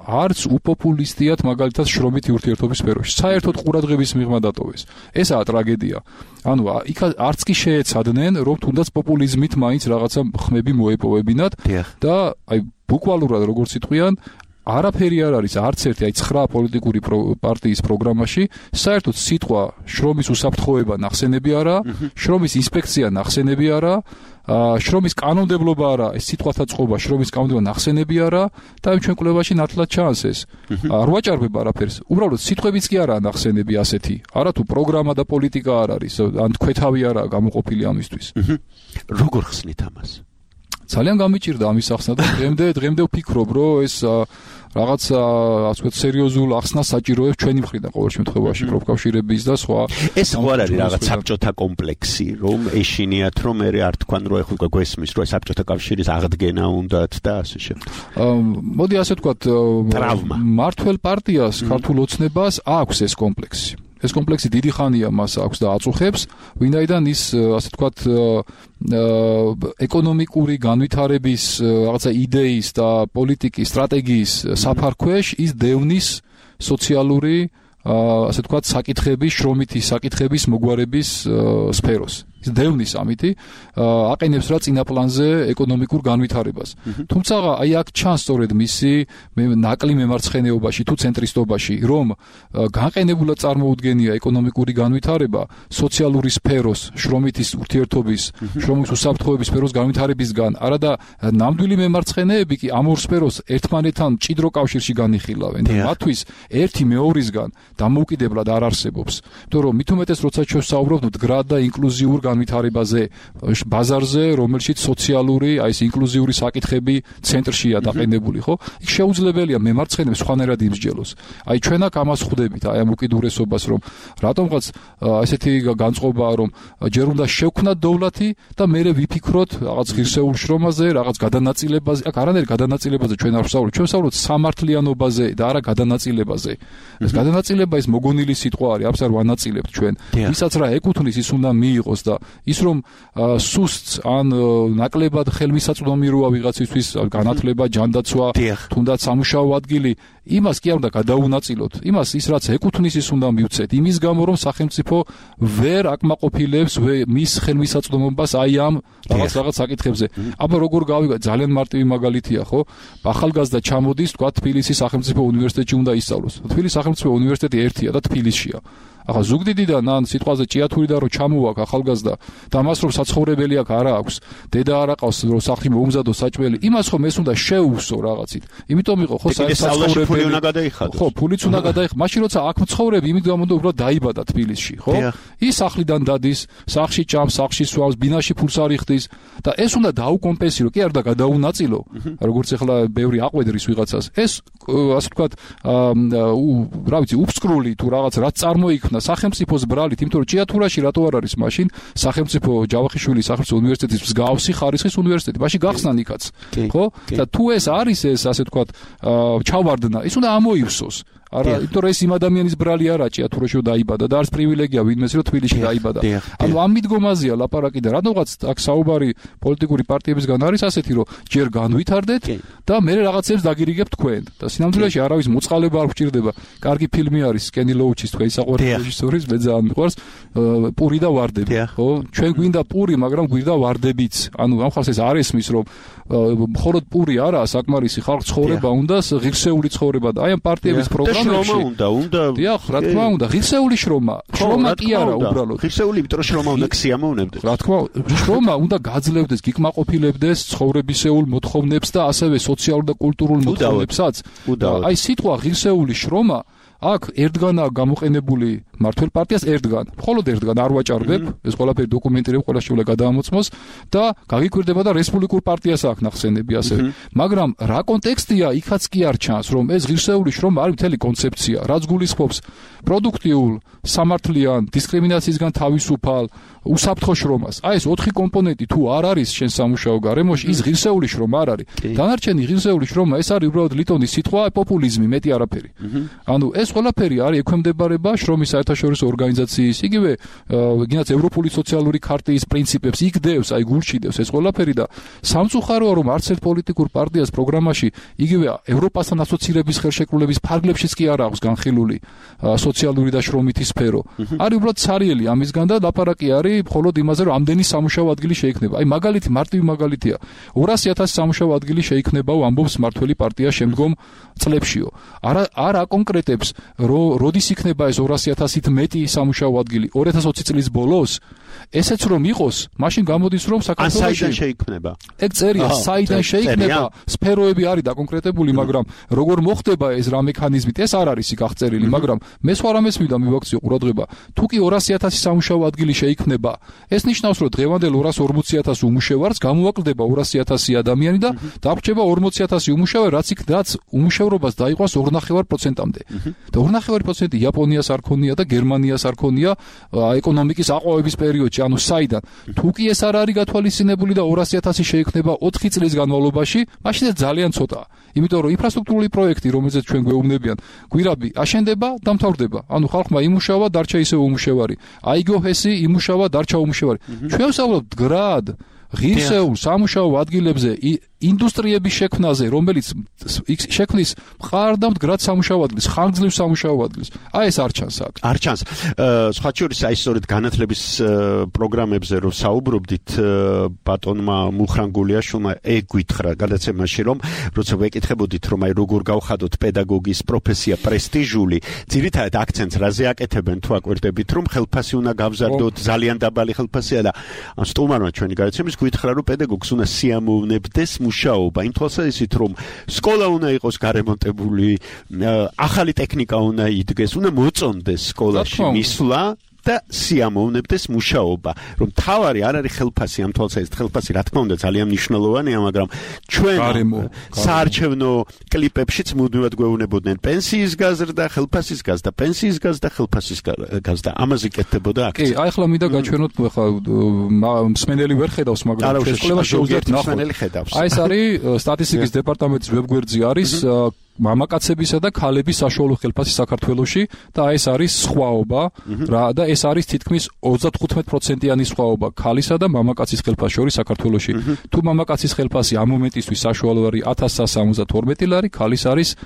არც უპოპულისტიათ მაგალითად შრომითი ურთიერთობის სფეროში. საერთოდ ყურადღების მიღმა დატოვეს. ესაა ტრაგედია. ანუ იქ არც კი შეეცადნენ, რომ თუნდაც პოპულიზმით მაინც რაღაცა ხმები მოეპოვებინათ და აი ბუკვალურად როგორც იტყვიან არაფერი არ არის არც ერთი აი 9 პოლიტიკური პარტიის პროგრამაში საერთოდ სიტყვა შრომის უსაფრთხოება ნახსენები არა, შრომის ინსპექცია ნახსენები არა, შრომის კანონმდებლობა არა, ეს სიტყვათა წყობა შრომის კანონმდებლობა ნახსენები არა და იმ ჩვენ კვლევაში ნათლად ჩანს ეს. არ ვაჭარბებ არაფერს. უბრალოდ სიტყვებიც კი არა ნახსენები ასეთი. არა თუ პროგრამა და პოლიტიკა არ არის, ან თქვეთავი არა გამოყოფილი ამისთვის. როგორ ხსნით ამას? ძალიან გამიჭირდა ამის ახსნა და დღემდე ვფიქრობ, რომ ეს რაღაცა ასე ვთქვათ სერიოზულ ახსნას საჭიროებს ჩვენი მხრიდან ყოველ შემთხვევაში პროფკავშირების და სხვა. ეს ხო არ არის რაღაც საბჭოთა კომპლექსი, რომ ეშინიათ რომ მე არ თქვან რომ ეხლა გვესმის რომ საბჭოთა კავშირის აღდგენა უნდათ და ასე შემდეგ. მოდი ასე ვთქვათ მართლ პარტიას ქართულ ოცნებას აქვს ეს კომპლექსი. ეს კომპლექსი დიდი ხანია მას აქვს და აწუხებს, ვინაიდან ის ასე ვთქვათ ეკონომიკური განვითარების რაღაცა იდეის და პოლიტიკის სტრატეგიის საფარქვეშ ის დევნის სოციალური ასე ვთქვათ საკითხების, შრომითი საკითხების მოგვარების სფეროს. ის დევნის ამითი აყენებს რა წინა პლანზე ეკონომიკურ განვითარებას. თუმცა აი აქ ჩანს სწორედ მისი ნაკლი მემარცხენეობაში თუ ცენტრისტობაში, რომ განყენებულად წარმოუდგენია ეკონომიკური განვითარება სოციალური სფეროს, შრომითის ურთიერთობის, შრომის უსაფრთხოების სფეროს განვითარებისგან, არა და ნამდვილი მემარცხენეები კი ამ ორ სფეროს ერთმანეთთან მჭიდრო კავშირში განიხილავენ და მათთვის ერთი მეორისგან დამოუკიდებლად არ არსებობს. იმიტომ რომ მით უმეტეს როცა შევსაუბრობთ მდგრად და ინკლუზიურ განვითარებაზე ბაზარზე, რომელშიც სოციალური, აი ეს ინკლუზიური საკითხები ცენტრშია დაყენებული, ხო? იქ შეუძლებელია მემარცხენეებს სხვანაირად იმსჯელოს. აი ჩვენ აქ ამას ხვდებით, აი ამ უკიდურესობას, რომ რატომღაც ესეთი განწყობაა, რომ ჯერ უნდა შევქნათ დოვლათი და მერე ვიფიქროთ რაღაც ღირსეულ შრომაზე, რაღაც გადანაწილებაზე. აქ არანაირ გადანაწილებაზე ჩვენ არ ვსაუბრობთ, ჩვენ ვსაუბრობთ სამართლიანობაზე და არა გადანაწილებაზე. ეს გადანაწილება ის მოგონილი სიტყვა არის, ამას არ ვანაწილებთ ჩვენ. ვისაც რა ეკუთვნის, ის უნდა მიიღოს და ის რომ სუსტს ან ნაკლებად ხელმისაწვდომი როა ვიღაცისთვის განათლება, ჯანდაცვა, თუნდაც სამუშაო ადგილი, იმას კი არ უნდა გადაუნაწილოთ. იმას ის რაც ეკუთვნის ის უნდა მივცეთ. იმის გამო რომ სახელმწიფო ვერ აკმაყოფილებს მის ხელმისაწვდომობას აი ამ რაღაც საკითხებზე. აბა როგორ გავიგე, ძალიან მარტივი მაგალითია, ხო? ახალგაზრდა ჩამოდის, თქვა თბილისის სახელმწიფო უნივერსიტეტში უნდა ისწავლოს. თბილისის სახელმწიფო უნივერსიტეტი ერთია და თბილისშია. ახლა ზუგდიდიდან ან სიტყვაზე ჭიათურიდან რომ ჩამოვაქ ახალგაზრდა და მას რომ საცხოვრებელი აქ არა აქვს, დედა არ აყავს რომ სახლი მოუმზადოს საჭმელი, იმას ხომ ეს უნდა შეუვსო რაღაცით. იმიტომ იყო ხო საცხოვრებელი ფული უნდა გადაიხადოს. ხო, ფულიც უნდა გადაიხადოს. მაშინ როცა აქ მცხოვრები, იმით გამომდინარე უბრალოდ დაიბადა თბილისში, ხო? ის სახლიდან დადის, სახლში ჭამს, სახლში სვავს, ბინაში ფულს არ იხდის და ეს უნდა დაუკომპენსირო, კი არა და გადაუნაწილო. როგორც ახლა ბევრი აყვედრის ვიღაცას. ეს ასე ვთქვათ, რა ვიცი, უფსკრული თუ რაღაც რაც წარმოიქმნა სახელმწიფოს ბრალით, იმიტომ რომ ჭიათურაში რატო არ არის მაშინ სახელმწიფო ჯავახიშვილის სახელმწიფო უნივერსიტეტის მსგავსი ხარისხის უნივერსიტეტი, მაშინ გახსნა იქაც, ხო? და თუ ეს არის ეს ასე ვთქვათ ჩავარდნა, ის უნდა ამოივსოს. არა, იმიტომ რომ ეს იმ ადამიანის ბრალი არა ჭიათურაში დაიბადა და არც პრივილეგია ვინმეს რომ თბილისში დაიბადა. ანუ ამ მიდგომაზეა ლაპარაკი და რატომღაც აქ საუბარი პოლიტიკური პარტიებისგან არის ასეთი, რომ ჯერ განვითარდეთ და მე რაღაცებს დაგირიგებთ თქვენ. და სინამდვილეში არავის მოწყალება არ გვჭირდება. კარგი ფილმი არის კენი ლოუჩის თქვენი საყვარელი რეჟისორის, მე ძალიან მიყვარს პური და ვარდები, ხო? ჩვენ გვინდა პური, მაგრამ გვინდა ვარდებიც. ანუ ამ ხალხს ეს არ ესმის, რომ მხოლოდ პური არაა საკმარისი, ხალხ ცხოვრება უნდა, ღირსეული ცხოვრება და აი ამ პარტიების პროგრამებში უნდა. დიახ, რა თქმა უნდა, ღირსეული შრომა. შრომა კი არა უბრალოდ. ღირსეული, იმიტომ რომ შრომა უნდა ქსიამოვნებდეს. რა თქმა უნდა, შრომა უნდა გაძლევდეს, გიკმაყოფილებდეს ცხოვრებისეულ მოთხოვნებს და ასევე სოციალურ და კულტურულ მოთხოვნებსაც. აი სიტყვა ღირსეული შრომა აქ ერთგანაა გამოყენებული მართლ პარტიას ერთგან. მხოლოდ ერთგან არ ვაჭარბებ, ეს ყველაფერი დოკუმენტირებ, ყველა შეუძლია გადაამოწმოს და გაგიკვირდება და რესპუბლიკურ პარტიას აქვს ნახსენები ასევე. მაგრამ რა კონტექსტია, იქაც კი არ ჩანს, რომ ეს ღირსეული შრომა არის მთელი კონცეფცია, რაც გულისხმობს პროდუქტიულ, სამართლიან, დისკრიმინაციისგან თავისუფალ, უსაფრთხო შრომას. აი ეს 4 კომპონენტი თუ არ არის შენ სამუშაო გარემოში, ის ღირსეული შრომა არ არის. დანარჩენი ღირსეული შრომა ეს არის უბრალოდ ლიტონის სიტყვა, პოპულიზმი, მეტი არაფერი. ანუ ეს ყველაფერი არის ექვემდებარება შრომის საერთაშორისო ორგანიზაციის, იგივე გინდათ ევროპული სოციალური ქარტიის პრინციპებს იგდევს, აი გულშიდევს ეს ყველაფერი და სამწუხაროა რომ არც ერთ პოლიტიკურ პარტიას პროგრამაში იგივე ევროპასთან ასოცირების ხელშეკრულების ფარგლებშიც კი არ აქვს განხილული სოციალური და შრომითი სფერო. არის უბრალოდ ცარიელი ამისგან და ლაპარაკი არის მხოლოდ იმაზე რომ ამდენი სამუშაო ადგილი შეიქმნება. აი მაგალითი, მარტივი მაგალითია. 200,000 სამუშაო ადგილი შეიქმნებაო ამბობს მართველი პარტია შემდგომ წლებშიო. არ აკონკრეტებს როდის იქნება ეს 200,000-ით მეტი სამუშაო ადგილი 2020 წლის ბოლოს ესეც რომ იყოს, მაშინ გამოდის რომ საქართველოში საიდან შეიქმნება? ეგ წერია, საიდან შეიქმნება, სფეროები არის დაკონკრეტებული, მაგრამ როგორ მოხდება ეს რა მექანიზმით, ეს არ არის იქ აღწერილი, მაგრამ მე სხვა რამეს მინდა მივაქციო ყურადღება. თუ კი 200,000 სამუშაო ადგილი შეიქმნება, ეს ნიშნავს, რომ დღევანდელ 240,000 უმუშევარს გამოვაკლდება 200,000 ადამიანი და დაგვრჩება 40,000 უმუშევარი, რაც უმუშევრობას დაიყვანს 2.5%-მდე. და 2.5% იაპონიას არ ქონია და გერმანიას არ ქონია ეკონომიკის აყვავების პერიოდში, ანუ საიდან. თუ კი ეს არ არის გათვალისწინებული და 200,000 შეიქმნება 4 წლის განმავლობაში, მაშინ ეს ძალიან ცოტაა. იმიტომ რომ ინფრასტრუქტურული პროექტი, რომელზეც ჩვენ გვეუბნებიან, გვირაბი აშენდება და მთავრდება. ანუ ხალხმა იმუშავა, დარჩა ისევ უმუშევარი. აიგო ჰესი იმუშავა, დარჩა უმუშევარი. ჩვენ ვსაუბრობთ გრად ღირსეულ სამუშაო ადგილებზე ინდუსტრიების შექმნაზე, რომელიც შექმნის მყარ და მდგრად სამუშაო ადგილს, ხანგრძლივ სამუშაო ადგილს. აი ეს არ ჩანს აქ. არ ჩანს. სხვა შორის აი სწორედ განათლების პროგრამებზე რომ საუბრობდით, ბატონმა მუხრანგულიაშვილმა გითხრა გადაცემაში, რომ როცა ვეკითხებოდით, რომ აი როგორ გავხადოთ პედაგოგის პროფესია პრესტიჟული, ძირითადად აქცენტს რაზე აკეთებენ თუ აკვირდებით, რომ ხელფასი უნდა გავზარდოთ, ძალიან დაბალი ხელფასია და სტუმარმა ჩვენი გადაცემის გითხრა, რომ პედაგოგს უნდა სიამოვნებდეს მუშაობა, იმ თვალსაზრისით, რომ სკოლა უნდა იყოს გარემონტებული, ახალი ტექნიკა უნდა იდგეს, უნდა მოწონდეს სკოლაში მისვლა და სიამოვნებდეს მუშაობა, რომ თავარი არ არის ხელფასი, ამ თვალსაზრისით ხელფასი რა თქმა უნდა ძალიან მნიშვნელოვანია, მაგრამ ჩვენ საარჩევნო კლიპებშიც მუდმივად გვეუბნებოდნენ პენსიის გაზრდა, ხელფასის გაზრდა, პენსიის გაზრდა, ხელფასის გაზრდა, ამაზე კეთდებოდა აქცია. კი, აი ახლა მინდა გაჩვენოთ, ახლა მსმენელი ვერ ხედავს, მაგრამ შესყოლება შეუძლიათ ნახოთ. აი ეს არის სტატისტიკის დეპარტამენტის ვებგვერდზე არის მამაკაცებისა და ქალების საშუალო ხელფასი საქართველოში და ეს არის სხვაობა რა და ეს არის თითქმის 35%-იანი სხვაობა ქალისა და მამაკაცის ხელფასის შორის საქართველოში. თუ მამაკაცის ხელფასი ამ მომენტისთვის საშუალო არის 1172 ლარი, ქალის არის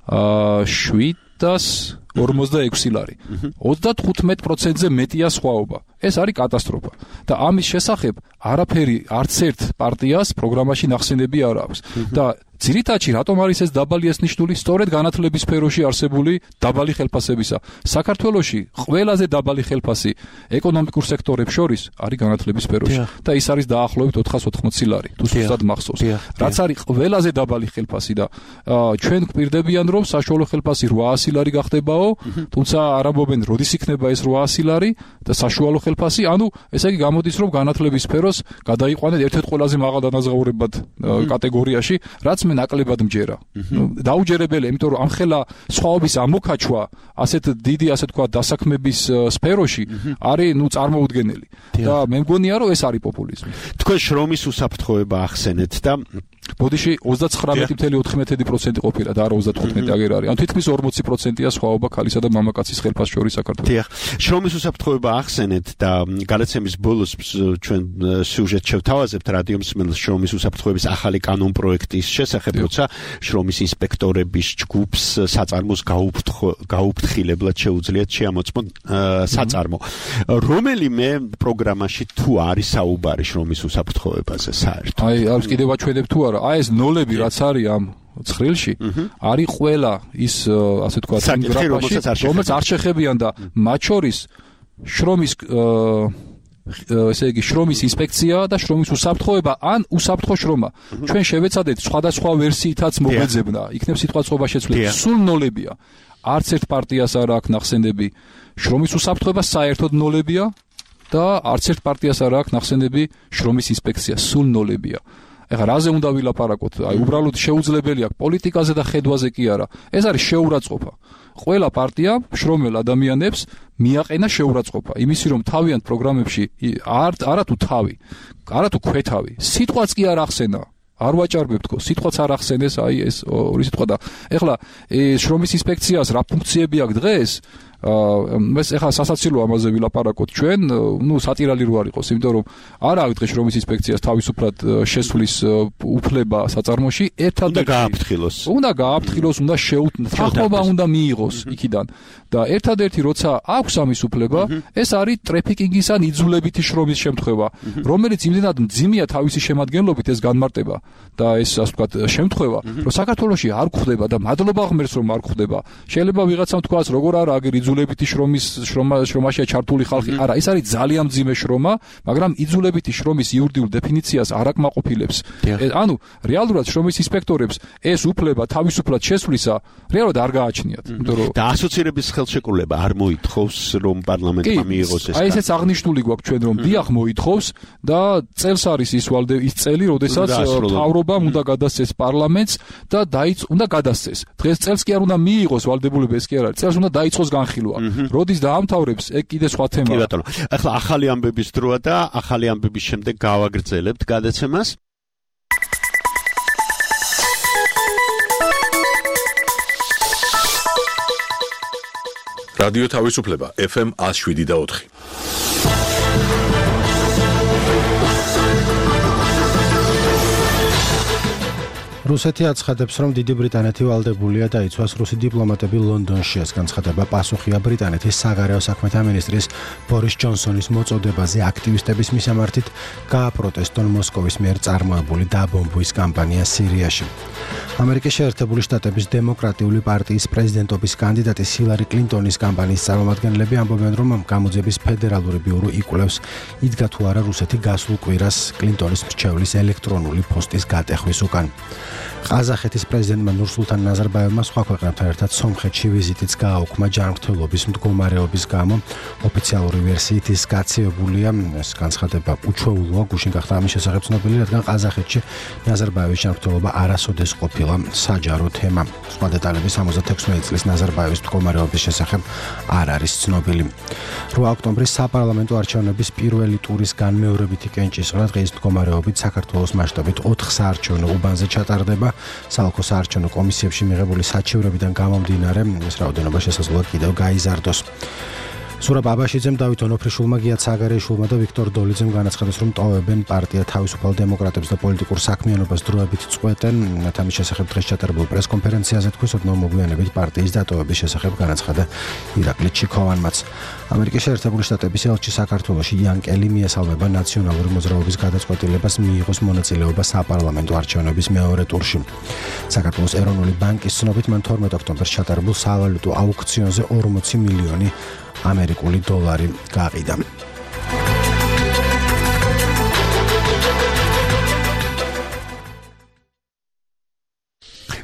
746 ლარი. 35%-ზე მეტია სხვაობა. ეს არის კატასტროფა. და ამის შესახებ არაფერი არც ერთ პარტიას პროგრამაში ნახსენები არ აქვს. და ძირითადში რატომ არის ეს დაბალი ეს ნიშნული? სწორედ განათლების სფეროში არსებული დაბალი ხელფასებისა. საქართველოში ყველაზე დაბალი ხელფასი ეკონომიკურ სექტორებს შორის არის განათლების სფეროში და ის არის დაახლოებით 480 ლარი. თუ სუსტად მახსოვს. რაც არის ყველაზე დაბალი ხელფასი და ჩვენ გვპირდებიან რომ საშუალო ხელფასი 800 ლარი გახდებაო, თუმცა არ ამბობენ როდის იქნება ეს 800 ლარი და საშუალო ხელფასი, ანუ ესე იგი გამოდის რომ განათლების სფეროს გადაიყვანეთ ერთ-ერთ ყველაზე მაღალ დანაზღაურებად კატეგორიაში, რაც მე ნაკლებად მჯერა. დაუჯერებელია, იმიტომ რომ ამხელა სხვაობის ამოქაჩვა ასეთ დიდი, ასე თქვა, დასაქმების სფეროში არის, წარმოუდგენელი. და მე მგონია, რომ ეს არის პოპულიზმი. თქვენ შრომის უსაფრთხოება ახსენეთ და ბოდიში 39.14% ყოფილა და არა 35 აგერ არის. ანუ თითქმის 40%-ია სხვაობა ქალისა და მამაკაცის ხელფასის შორის საქართველოში. დიახ, შრომის უსაფრთხოება ახსენეთ და გადაცემის ბოლოს ჩვენ სიუჟეტს შევთავაზებთ რადიო მსმენელს შრომის უსაფრთხოების ახალი კანონპროექტის შესახებ, როცა შრომის ინსპექტორების ჯგუფს საწარმოს გაუფრთხილებლად შეუძლიათ შეამოწმონ საწარმო. რომელიმე პროგრამაში თუ არის საუბარი შრომის უსაფრთხოებაზე საერთოდ? აი, არის კიდევ აჩვენებ თუ არა. აი ეს ნოლები რაც არის ამ ცხრილში, არის ყველა ის ასე თქვა გრაფაში, რომელიც არ შეხებიან და მათ შორის შრომის ესე იგი შრომის ინსპექცია და შრომის უსაფრთხოება ან უსაფრთხო შრომა. ჩვენ შევეცადეთ სხვადასხვა ვერსიითაც მოგვეძებნა, იქნებ სიტყვაწყობა შეცვლილი. სულ ნოლებია. არც ერთ პარტიას არ აქვს ნახსენები შრომის უსაფრთხოება, საერთოდ ნოლებია და არც ერთ პარტიას არ აქვს ნახსენები შრომის ინსპექცია, სულ ნოლებია. ეხლა რაზე უნდა ვილაპარაკოთ? აი უბრალოდ შეუძლებელი აქვს პოლიტიკაზე და ხედვაზე კი არა. ეს არის შეურაცხყოფა. ყველა პარტია შრომელ ადამიანებს მიაყენა შეურაცხყოფა. იმისი რომ თავიანთ პროგრამებში არა თუ თავი, არა თუ ქვეთავი, სიტყვაც კი არ ახსენა. არ ვაჭარბებ თქო, სიტყვაც არ ახსენეს, აი ეს ორი სიტყვა და ეხლა შრომის ინსპექციას რა ფუნქციები აქვს დღეს? ეს ეხლა სასაცილო ამაზე ვილაპარაკოთ ჩვენ, სატირალი რო არ იყოს, იმიტომ რომ არ აქვს დღეს შრომის ინსპექციას თავისუფლად შესვლის უფლება საწარმოში, გააფრთხილოს. უნდა გააფრთხილოს, უნდა თანხმობა უნდა მიიღოს იქიდან. და ერთადერთი როცა აქვს ამის უფლება, ეს არის ტრეფიკინგის ან იძულებითი შრომის შემთხვევა, რომელიც იმდენად მძიმეა თავისი შემადგენლობით ეს განმარტება და ეს ასე ვთქვათ შემთხვევა, რომ საქართველოში არ გვხვდება და მადლობა ღმერთს რომ არ გვხვდება. შეიძლება ვიღაცამ თქვას, როგორ არა აგერ იძულებითი შრომაშია ჩართული ხალხი. არა, ეს არის ძალიან მძიმე შრომა, მაგრამ იძულებითი შრომის იურიდიულ დეფინიციას არ აკმაყოფილებს. ანუ რეალურად შრომის ინსპექტორებს ეს უფლება თავისუფლად შესვლისა რეალურად არ გააჩნიათ. იმიტომ რომ და ასოცირების ხელშეკრულება არ მოითხოვს რომ პარლამენტმა მიიღოს ეს. აი ესეც აღნიშნული გვაქვს ჩვენ რომ დიახ მოითხოვს და წელს არის ის წელი, როდესაც მთავრობამ უნდა გადასცეს პარლამენტს და უნდა გადასცეს. დღეს წელს კი არ უნდა მიიღოს ვალდებულება, ეს კი არ არის. წელს უნდა დაიწყოს განხილვა. როდის დაამთავრებს, ეგ კიდე სხვა თემაა. კი ბატონო. ახლა ახალი ამბების დროა და ახალი ამბების შემდეგ გავაგრძელებთ გადაცემას. რადიო თავისუფლება FM 107.4. რუსეთი აცხადებს, რომ დიდი ბრიტანეთი ვალდებულია დაიცვას რუსი დიპლომატები ლონდონში. ეს განცხადება პასუხია ბრიტანეთის საგარეო საქმეთა მინისტრის ბორის ჯონსონის მოწოდებაზე აქტივისტების მისამართით გააპროტესტონ მოსკოვის მიერ წარმოებული დაბომბვის კამპანია სირიაში. ამერიკის შეერთებული შტატების დემოკრატიული პარტიის პრეზიდენტობის კანდიდატი ჰილარი კლინტონის კამპანიის წარმომადგენლები ამბობენ, რომ გამოძიების ფედერალური ბიურო იკვლევს, იდგა თუ არა რუსეთი გასულ კვირას კლინტონის მრჩევლის ელექტრონული პოსტის გატეხვის უკან. ყაზახეთის პრეზიდენტმა ნურსულთან ნაზარბაევმა სხვა ქვეყნებთან ერთად სომხეთში ვიზიტიც გააუქმა ჯანმრთელობის მდგომარეობის გამო. ოფიციალური ვერსიით ის გაცივებულია, ეს განცხადება უჩვეულოა, გუშინ გახდა ამის შესახებ ცნობილი, რადგან ყაზახეთში ნაზარბაევის ჯანმრთელობა არასოდეს ყოფილა საჯარო თემა. სხვა დეტალები 76 წლის ნაზარბაევის მდგომარეობის შესახებ არ არის ცნობილი. 8 ოქტომბრის საპარლამენტო არჩევნების პირველი ტურის განმეორებითი კენჭისყრა დღის მდგომარეობით საქართველოს მასშტაბით 4 საარჩევნო უბანზე ჩატარდება. საოლქო საარჩევნო კომისიებში მიღებული საჩივრებიდან გამომდინარე, ეს რაოდენობა შესაძლოა კიდევ გაიზარდოს. ზურაბ აბაშიძემ, დავით ონოფრიშვილმა, გია ცაგარეიშვილმა და ვიქტორ დოლიძემ განაცხადეს, რომ ტოვებენ პარტია თავისუფალ დემოკრატებს და პოლიტიკურ საქმიანობას დროებით წყვეტენ. ამის შესახებ დღეს ჩატარებულ პრესკონფერენციაზე თქვის, ოდნავ მოგვიანებით პარტიის დატოვების შესახებ განაცხადა ირაკლი ჩიქოვანმაც. ამერიკის შეერთებული შტატების ელჩი საქართველოში იან კელი მიესალმება ნაციონალური მოძრაობის გადაწყვეტილებას მიიღოს მონაწილეობა საპარლამენტო არჩევნების მეორე ტურში. საქართველოს ეროვნული ბანკის ცნობით მან 12 ოქტომბერს ჩატარებულ სავალუტო აუქციონზე 40 მილიონი ამერიკული დოლარი გაყიდა.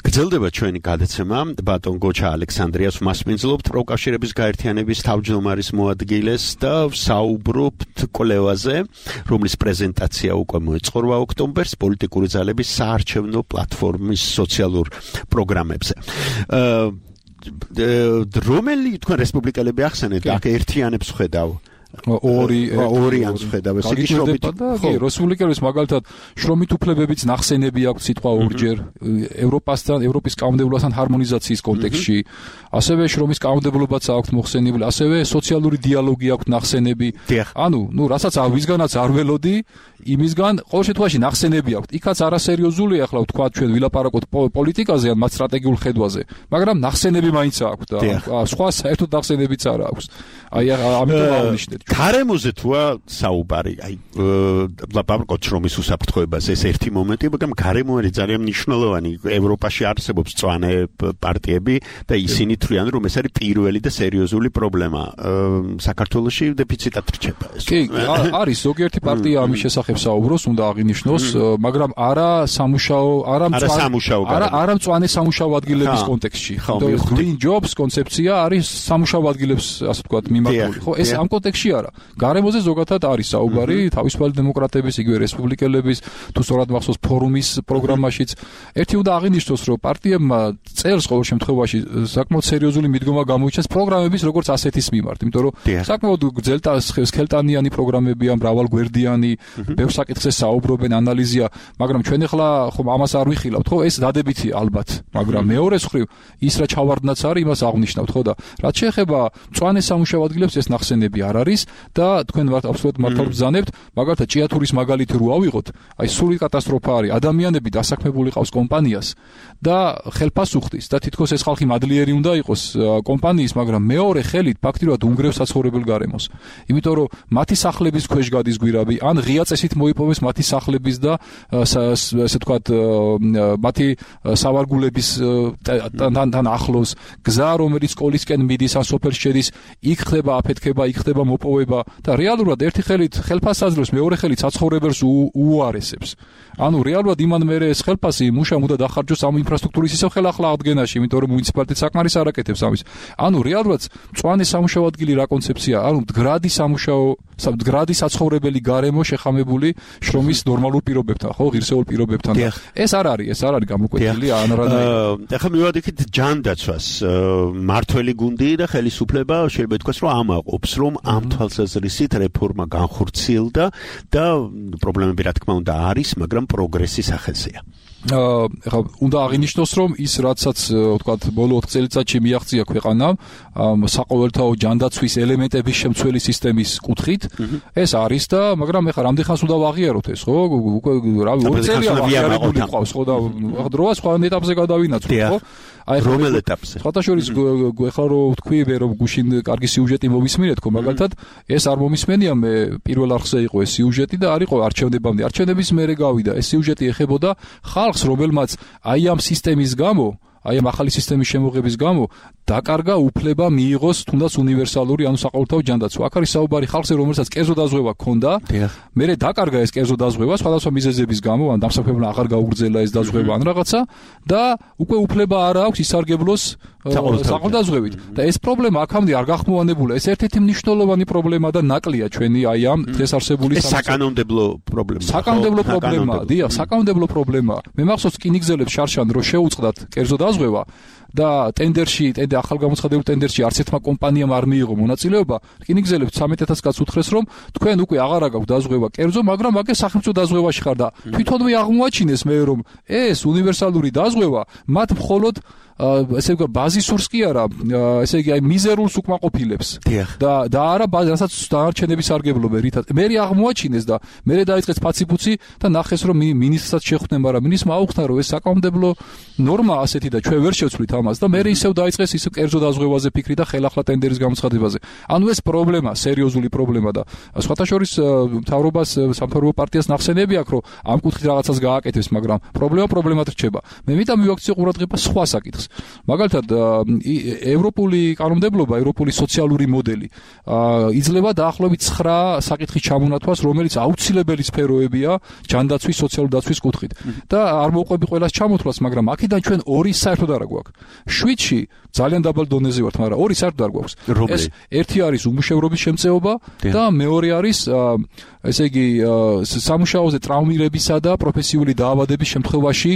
გრძელდება ჩვენი გადაცემა. ბატონ გოჩა ალექსანდრიას მასპინძლობთ პროკავშირების გაერთიანების თავმჯდომარის მოადგილეს და საუბრობთ კვლევაზე, რომლის პრეზენტაცია უკვე მოეწყო 8 ოქტომბერს პოლიტიკური ძალების საარჩევნო პლატფორმის სოციალურ პროგრამებზე. რომელი თქვენ რესპუბლიკელები ახსენეთ, აქ ერთიანებს ხედავ? ორი ანს ხედავ ეს იგი შრომით ხო რესპუბლიკელების მაგალითად შრომით უფლებებიც ნახსენები აქვს სიტყვა ორჯერ ევროპის კანონმდებლობასთან ჰარმონიზაციის კონტექსტში ასევე შრომის კანონმდებლობაც აქვს მოხსენებული ასევე სოციალური დიალოგი აქვს ნახსენები ანუ რასაც ვისგანაც არ ველოდი იმისგან ყოველ შემთხვევაში ნახსენები აქვს იქაც არასერიოზულია ახლა ვთქვა ჩვენ ვილაპარაკოთ პოლიტიკაზე ან მათ სტრატეგიულ ხედვაზე მაგრამ ნახსენები მაინც აქვს და სხვა საერთოდ ნახსენებიც არ აქვს აი ამიტომ აღნიშნეთ გარემოზე თუა საუბარი აი ლაპარაკობთ შრომის უსაფრთხოებაზე ეს ერთი მომენტია მაგრამ გარემო არის ძალიან მნიშვნელოვანი ევროპაში არსებობს მწვანე პარტიები და ისინი თვლიან რომ ეს არის პირველი და სერიოზული პრობლემა საქართველოში დეფიციტად რჩება ეს კი არის ზოგიერთი პარტია ამის შესახებ საუბრობს უნდა აღინიშნოს მაგრამ არა მწვანე სამუშაო ადგილების კონტექსტში green jobs კონცეფცია არის სამუშაო ადგილებს ასე ვთქვათ მიმართული ხო ეს ამ კონტექსტში არა. გარემოზე ზოგადად არის საუბარი თავისუფალი დემოკრატების, იგივე რესპუბლიკელების, თუ სწორად მახსოვს ფორუმის პროგრამაშიც. ერთი უნდა აღინიშნოს, რომ პარტიებმა წელს ყოველ შემთხვევაში საკმაოდ სერიოზული მიდგომა გამოიჩინეს პროგრამების როგორც ასეთის მიმართ, იმიტომ რომ საკმაოდ სქელტანიანი პროგრამებია, მრავალგვერდიანი, ბევრ საკითხზე საუბრობენ, ანალიზია, მაგრამ ჩვენ ახლა ხომ ამას არ ვიხილავთ, ხო? ეს დადებითი ალბათ, მაგრამ მეორე მხრივ ის რა ჩავარდნაც არის, იმას აღნიშნავთ, ხო და რაც შეეხება მწვანე სამუშაო ადგილებს ეს ნახსენები არ არის და თქვენ ვართ აბსოლუტურად მართალ ბრძანებთ, მაგალითად ჭიათურის მაგალითი რო ავიღოთ, აი სული კატასტროფა არის, ადამიანები დასაქმებული ყავს კომპანიას და ხელფას უხდის და თითქოს ეს ხალხი მადლიერი უნდა იყოს კომპანიის, მაგრამ მეორე ხელით ფაქტიურად უნგრევს საცხოვრებელ გარემოს. იმიტომ რომ მათი სახლების ქვეშ გადის გვირაბი, ან ღია წესით მოიპოვეს მათი სახლების და ესე ვთქვათ მათი სავარგულების თან ახლოს გზა, რომელიც სკოლისკენ მიდის, ან სოფელს შედის, იქ ხდება აფეთქება, იქ ხდება მოპოვება და რეალურად ერთი ხელით ხელფასს აძლევს, მეორე ხელით საცხოვრებელს უარესებს. ანუ რეალურად იმან მერე ეს ხელფასი მუშამ უნდა დახარჯოს ამ ინფრასტრუქტურის ისევ ხელახლა აღდგენაში, იმიტომ რომ მუნიციპალიტეტი საკმარის არ აკეთებს ამის. ანუ რეალურად მწვანე სამუშაო ადგილი რა კონცეფცია, ანუ მდგრადი საცხოვრებელი გარემო შეხამებული შრომის ნორმალურ პირობებთან, ხო, ღირსეულ პირობებთან. ეს არ არის გამოკვეთილი ანრადაი. ახლა მივადიქით ჯანდაცვას მართველი გუნდი და ხელისუფლება შეიძლება ითქვას, რომ ამაყობს, რომ ამ თვალსაზრისით რეფორმა განხორციელდა და პრობლემები რა თქმა უნდა არის, მაგრამ პროგრესის ახალსია. ახლა უნდა აღინიშნოს, რომ ის რაცაც ვთქვათ ბოლო 4 წელიწადში მიაღწია ქვეყანამ საყოველთაო ჯანდაცვის ელემენტების შემცველი სისტემის კუთხით, ეს არის და მაგრამ ახლა რამდენ ხანს უნდა ვაღიაროთ ეს, ხო? უკვე რავი 2 წელია აღიარებული ყავს, ხო და დროა სხვა ეტაპზე გადავინაცვლოთ, ხო? აი რომელ ეტაპზე? სხვათაშორის ახლა რო ვთქვი, რომ გუშინ კარგი სიუჟეტი მომისმინეთ, ხო, მაგალითად ეს არ მომისმენია, მე პირველ არხზე იყო ეს სიუჟეტი და არ იყო არჩევნებამდე. არჩევნების მერე გავიდა ეს სიუჟეტი ეხებოდა ხალხს, რომელმაც აი ამ სისტემის გამო, აი ამ ახალი სისტემის შემოღების გამო დაკარგა უფლება მიიღოს თუნდაც უნივერსალური, ანუ საყოველთაო ჯანდაცვა. აქ არის საუბარი ხალხზე, რომელსაც კერძო დაზღვევა ჰქონდა, მერე დაკარგა ეს კერძო დაზღვევა სხვადასხვა მიზეზების გამო, ან დამსაქმებელმა აღარ გაუგრძელა ეს დაზღვევა ან რაღაცა და უკვე უფლება არ აქვს ისარგებლოს საყოველთაოებით. და ეს პრობლემა აქამდე არ გახმოვანებულა. ეს ერთ-ერთი მნიშვნელოვანი პრობლემა და ნაკლია ჩვენი აი ამ დღეს არსებული საკანონმდებლო პრობლემა. საკანონმდებლო პრობლემა, დიახ, საკანონმდებლო პრობლემა. მე მახსოვს რკინიგზელებს შარშან რო შეუწყდათ კერძო დაზღვევა და ახალგამოცხადებულ ტენდერში არც ერთმა კომპანიამ არ მიიღო მონაწილეობა, რკინიგზელებს 13000 კაცს უთხრეს, რომ თქვენ უკვე აღარ აქვს დაზღვევა კერძო, მაგრამ აქ სახელმწიფო დაზღვევაში ხარ და თვითონვე აღმოაჩინეს მე რომ ეს უნივერსალური დაზღვევა მათ მხოლოდ ესე იგი ბაზისურს კი არა, ესე იგი აი მიზერულს უკმაყოფილებს და არა რასაც დანარჩენების სარგებლობენ რითაც. მე აღმოაჩინეს და მე დაიწყეს ფაციფუცი და ნახეს რომ მინისტრსაც შეხვდნენ, მაგრამ მინისტრმა აუხსნა რომ ეს საკანონმდებლო ნორმა ასეთი და ჩვენ ვერ შევცვლით ამას და მე ისევ დაიწყეს ისევ კერძო დაზღვევაზე ფიქრი და ხელახლა ტენდერის გამოცხადებაზე. ანუ ეს პრობლემა, სერიოზული პრობლემა და სხვათაშორის მთავრობას, სამთავრობო პარტიას ნახსენები აქვს, რომ ამ კუთხით რაღაცას გააკეთებს, მაგრამ პრობლემად რჩება. მე მითხრა მივაქციო ყურადღება სხვა საკითხს. მაგალითად ევროპული კანონმდებლობა, ევროპული სოციალური მოდელი იძლევა დაახლოებით 9 საკითხის ჩამონათვას, რომელიც აუცილებელი სფეროებია ჯანდაცვის, სოციალური დაცვის კუთხით. და არ მოვყვები ყველას ჩამოთვლას, მაგრამ აქედან ჩვენ 2 საერთოდ არ გვაქვს. 7-ში ძალიან დაბალ დონეზე ვართ, მაგრამ 2 საერთოდ არ გვაქვს. ეს ერთი არის უმუშევრობის შემწეობა და მეორე არის ესე იგი სამუშაოზე ტრავმირებისა და პროფესიული დაავადების შემთხვევაში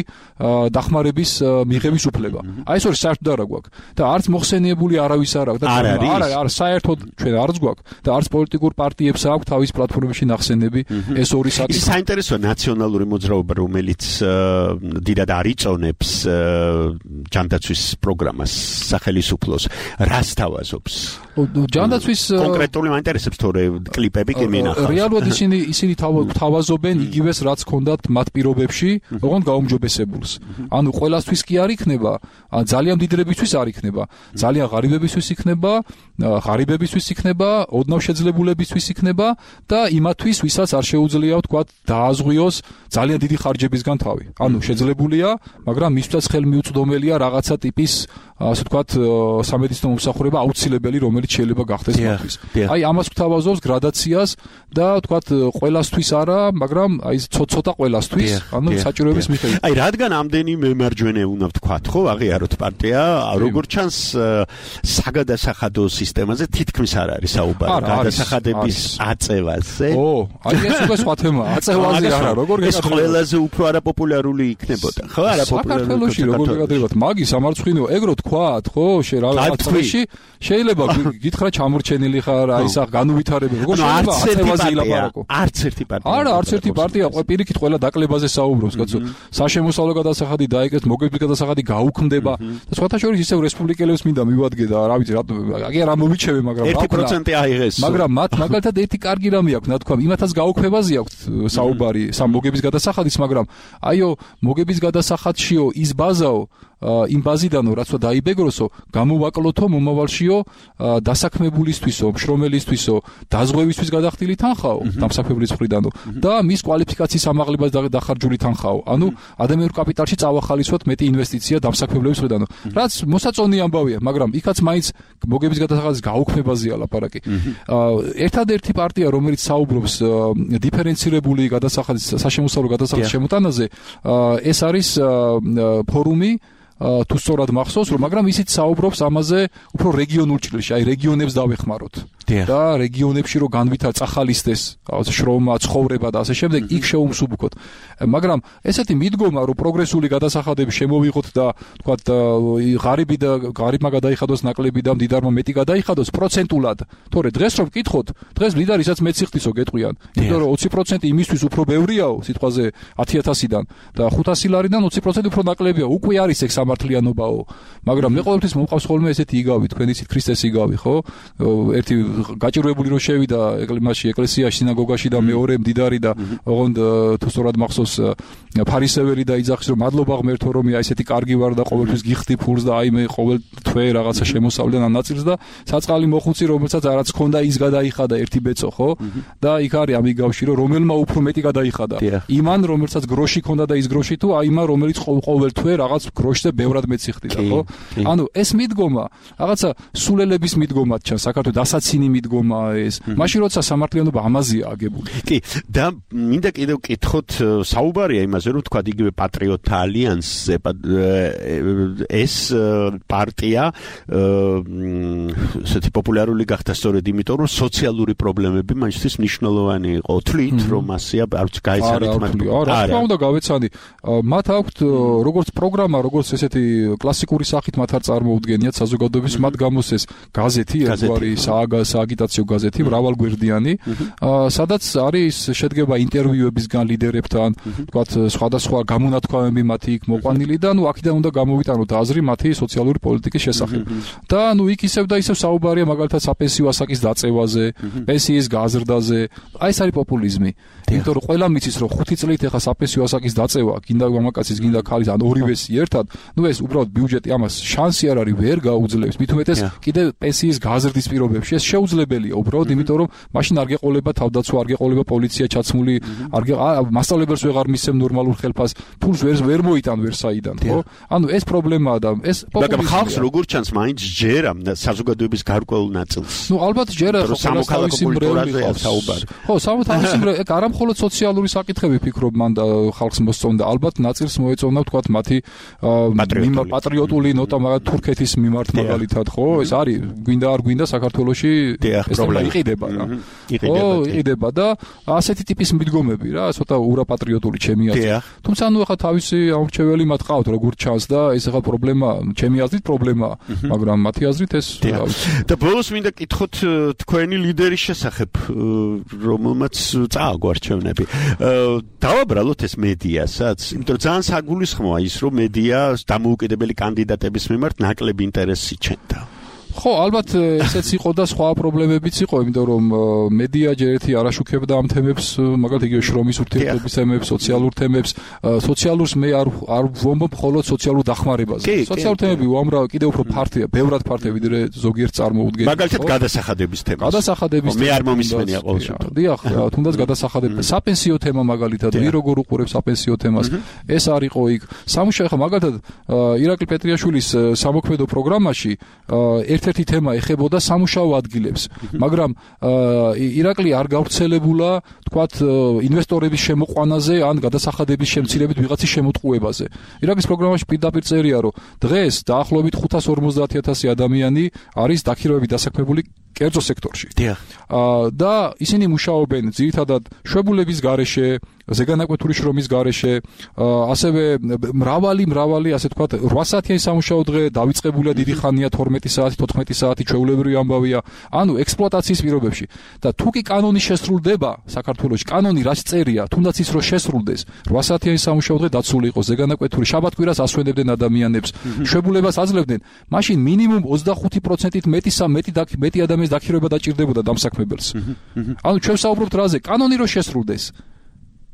დახმარების მიღების უფლება. აი ეს ორი საერთოდ არ გვაქვს და არც მოხსენიებული არავის არ აქვს და არ საერთოდ ჩვენ არც გვაქვს და არც პოლიტიკურ პარტიებს აქვს თავის პლატფორმებში ნახსენები ეს ორი საკითხი. ის საინტერესოა ნაციონალური მოძრაობა, რომელიც დიდად არიწონებს ჯანდაცვის პროგრამას სახელმწიფოს, რას თავაზობს? ჯანდაცვის კონკრეტული მაინტერესებს თორე კლიპები კი მინახავს. რეალურად ისინი თავაზობენ იგივეს რაც ჰქონდათ მათ პირობებში, ოღონდ გაუმჯობესებულს. ანუ ყველასთვის კი არ იქნება, ძალიან დიდრებისთვის არ იქნება, ძალიან ღარიბებისთვის იქნება, ღარიბებისთვის იქნება, ოდნავ შეძლებულებისთვის იქნება და იმათვის, ვისაც არ შეუძლია ვთქვათ დააზღვიოს ძალიან დიდი ხარჯებისგან თავი. ანუ შეძლებულია, მაგრამ მისთვის ხელმიუწვდომელია რაღაცა ტიპის ასე ვთქვათ სამედიცინო მომსახურება აუცილებელი, რომელიც შეიძლება გახდეს მათთვის. აი ამას გვთავაზობს გრადაციას და ვთქვათ ყველასთვის არა, მაგრამ აი ცოტა ყველასთვის, ანუ საჭიროების მიხედვით. აი რადგან ამდენი მემარჯვენე უნდა ვთქვათ, ხო, აღიაროთ პარტია, როგორც ჩანს საგადასახადო სისტემაზე თითქმის არ არის საუბარი, გადასახადების აწევაზე. აი ეს უკვე სხვა თემაა, აწევაზე არა, როგორ ეს ყველაზე უფრო არაპოპულარული იქნებოდა, ხო, არაპოპულარული. საქართველოში როგორ გეკადრებათ, მაგის სამარცხვინო, ეგრო თქვათ, ხო, რაღაცაში შეიძლება გითხრა ჩამორჩენილი ხარ, აი სა განუვითარებელი, როგორ შეიძლება აწევაზე ილაპარაკო. არც ერთი პარტია. არა, არც ერთი პარტია პირიქით ყველა დაკლებაზე საუბრობს, კაცო. საშემოსავლო გადასახადი დაიკეთეს, მოგებლის გადასახადი გაუქმდება და სხვათა შორის ისევ რესპუბლიკელებს მინდა მივადგე და რა ვიცი, აი რა მომიჩევე, მაგრამ 1% აიღეს. მაგრამ მათ მაგალითად ერთი კარგი რამე აქვს, რა თქვა, იმათაც გაუქმებაზე აქვს საუბარი, სამ მოგების გადასახადის, მაგრამ აიო, მოგების გადასახადშიო ის ბაზაო იმ ბაზიდანო რაცო დაიბეგროსო გამოვაკლოთო მომავალშიო დასაქმებულისთვისო მშრომელისთვისო დაზღვევისთვის გადახდილი თანხაო დამსაქმებლის მხრიდანო და მის კვალიფიკაციის ამაღლებას დახარჯული თანხაო ანუ ადამიანურ კაპიტალში წავახალისოთ მეტი ინვესტიცია დამსაქმებლების მხრიდანო რაც მოსაწონი ამბავია მაგრამ იქაც მაინც მოგების გადასახადის გაუქმებაზეა ლაპარაკი ერთადერთი პარტია რომელიც საუბრობს დიფერენცირებული გადასახადის საშემოსავლო გადასახადის შემოტანაზე ეს არის ფორუმი თუ სწორად მახსოვს რომ მაგრამ ისიც საუბრობს ამაზე უფრო რეგიონულ ჭრილში აი რეგიონებს დავეხმაროთ და რეგიონებში რო განვითარ წახალისდეს შრომა ცხოვრება და ასე შემდეგ იქ შეუმსუბუქოთ მაგრამ ესეთი მიდგომა რომ პროგრესული გადასახადები შემოვიღოთ და თქვათ ღარიბმა გადაიხადოს ნაკლები და მდიდარმა მეტი გადაიხადოს პროცენტულად თორე დღეს რომ ვკითხოთ დღეს მდიდარისაც მეც სიხდისო გეტყვიან იმიტომ რომ 20% იმისთვის უფრო ბევრიაო სიტყვაზე 10000-დან და 500 ლარიდან 20% უფრო ნაკლებია უკვე არის ეგ სამართლიანობაო მაგრამ მე ყოველთვის მომყავს ხოლმე ესეთი იგავი თქვენ იცით ქრისტეს იგავი ხო ერთი გაჭირვებული რომ შევიდა მაშინ ეკლესიაში სინაგოგაში და მეორე მდიდარი და ოღონდ თუ სწორად მახსოვს ფარისეველი და იძახის რომ მადლობა ღმერთო რომ ესეთი კარგი ვარ და ყოველთვის გიხდი ფულს და აი მე ყოველ თვე რაღაცა შემოსავლენ ამ ნაწილს და საწყალი მოხუცი რომელსაც არაც ქონდა ის გადაიხადა ერთი ბეწო ხო და იქ არის ამ იგავში რომ რომელმა უფრო მეტი გადაიხადა იმან რომელსაც გროში ქონდა და ის გროში თუ აი იმან რომელიც ყოველ თვე რაღაც გროშზე ბევრად მეც იხდიდა ხო ანუ ეს მიდგომა რაღაცა სულელების მიდგომად ჩანს საქართველოს დასაცინი მიდგომა ეს მაშინ როცა სამართლიანობა ამაზეა აგებული კი და მინდა კიდევ კითხოთ საუბარია იმაზე რომ თქვა იგივე პატრიოტთა ალიანსზე ეს პარტია ესეთი პოპულარული გახდა სწორედ იმიტომ რომ სოციალური პრობლემები მაშინ მნიშვნელოვანი იყო თვლით რომ ასეა არც გაიცანით მათ არა რა უნდა გავეცანი მათ აქვთ როგორც პროგრამა როგორც ესეთი კლასიკური სახით მათ არ წარმოუდგენიათ საზოგადოების მათ გამოსეს გაზეთი ერთგვარი სააგიტაციო გაზეთი მრავალგვერდიანი სადაც არის შედგება ინტერვიუებისგან ლიდერებთან თქვათ სხვადასხვა გამონათქვამები მათი იქ მოყვანილი და ნუ აქედან უნდა გამოვიტანოთ აზრი მათი სოციალური პოლიტიკის შესახებ და ნუ იქ ისევ და ისევ საუბარია მაგალითად საპენსიო ასაკის დაწევაზე პენსიის გაზრდაზე აი ეს არის პოპულიზმი იმიტომ რომ ყველა მიცის რომ 5 წლით ეხა საპენსიო ასაკის დაწევა გინდა მამაკაცის გინდა ქალის ან ორივესი ერთად ნუ ეს უბრალოდ ბიუჯეტი ამას შანსი არ არის ვერ გაუძლებს მით უმეტეს კიდე პენსიის გაზრდის პირობებში ეს შეუძლებელია უბრალოდ იმიტომ რომ მაშინ არ გეყოლება თავდაცვა არ გეყოლება პოლიცია ჩაცმული მასწავლებელს ვეღარ მისცემ ნორმალურ ხელფას ფულს ვერ მოიტან ვერ საიდან ხო ანუ ეს პრობლემაა და ეს მაგრამ ხალხს როგორ ჩანს მაინც ჯერა საზოგადოების გარკვეულ ნაწილს ნუ ალბათ ჯერა ხო სამოქალაქო კულტურაზე საუბარი ხო სამოქალაქო ეგ არა მხოლოდ სოციალური საკითხები ფიქრობ მან და ხალხს მოსწონდა ალბათ ნაწილს მოეწონა თქვათ მათი პატრიოტული ნოტა მაგალითად თურქეთის მიმართ მაგალითად ხო ეს არის გვინდა არ გვინდა საქართველოში ეს პრობლემა იყიდება რა იყიდება და ასეთი ტიპის მიდგომები რა ცოტა ურაპატრიოტული ჩემი აზრით თუმცა ნუ ახლა თავისი ამორჩეველი მათ ყავთ როგორ ჩანს და ეს ახლა პრობლემა ჩემი აზრით პრობლემაა მაგრამ მათი აზრით ეს და ბოლოს მინდა კითხოთ თქვენი ლიდერის შესახებ რომელმაც წააგვარჩევნები დავაბრალოთ ეს მედიასაც იმიტომ რომ ძალიან საგულისხმოა ის რომ მედია დამოუკიდებელი კანდიდატების მიმართ ნაკლები ინტერესი იჩენდა ხო ალბათ ესეც იყო და სხვა პრობლემებიც იყო იმიტომ რომ მედია ჯერ ერთი არაშუქებდა ამ თემებს მაგალითად იგივე შრომის ურთიერთობის თემებს სოციალურ თემებს სოციალურს მე არ ვომბობ მხოლოდ სოციალურ დახმარებაზე სოციალურ თემები უამრავი კიდევ უფრო ფართია ბევრად ფართია ვიდრე ზოგიერთ წარმოუდგენელს მაგალითად გადასახადების თემა გადასახადების მე არ მომისმენია ყოველ შემთხვევაში დიახ თუნდაც გადასახადები საპენსიო თემა მაგალითად ვინ როგორ უყურებს საპენსიო თემას ეს არ იყო იქ სამუშაო ხა მაგალითად ირაკლი პეტრიაშვილის სამოქმედო პროგრამაში ერთ-ერთი თემა ეხებოდა სამუშაო ადგილებს, მაგრამ ირაკლი არ გავრცელებულა, თქვათ, ინვესტორების შემოყვანაზე ან გადასახადების შემცირებით ვიღაცის შემოტყუებაზე. ირაკლის პროგრამაში პირდაპირ წერია, რომ დღეს დაახლოებით 550,000 ადამიანი არის დაქირავებით დასაქმებული კერძო სექტორში. და ისინი მუშაობენ ძირითადად შვებულების გარეშე, ზეგანაკვეთური შრომის გარეშე, ასევე მრავალი ასე თქვათ 8 საათიანი სამუშაო დღე დავიწყებულია დიდი ხანია 12 საათი, 14 საათი ჩვეულებრივი ამბავია. ანუ ექსპლუატაციის პირობებში და თუ კი კანონი შესრულდება საქართველოში, კანონი რაც წერია, თუნდაც ის რომ შესრულდეს, 8 საათიანი სამუშაო დღე დაცული იყოს, ზეგანაკვეთური შაბათ-კვირას ასვენებდნენ ადამიანებს, შვებულებას აძლევდნენ, მაშინ მინიმუმ 25%-ით მეტი ადამიანის დაქირავება დაჭირდებოდა დამსაქმებელს. ანუ ჩვენ ვსაუბრობთ რაზე? კანონი რომ შესრულდეს.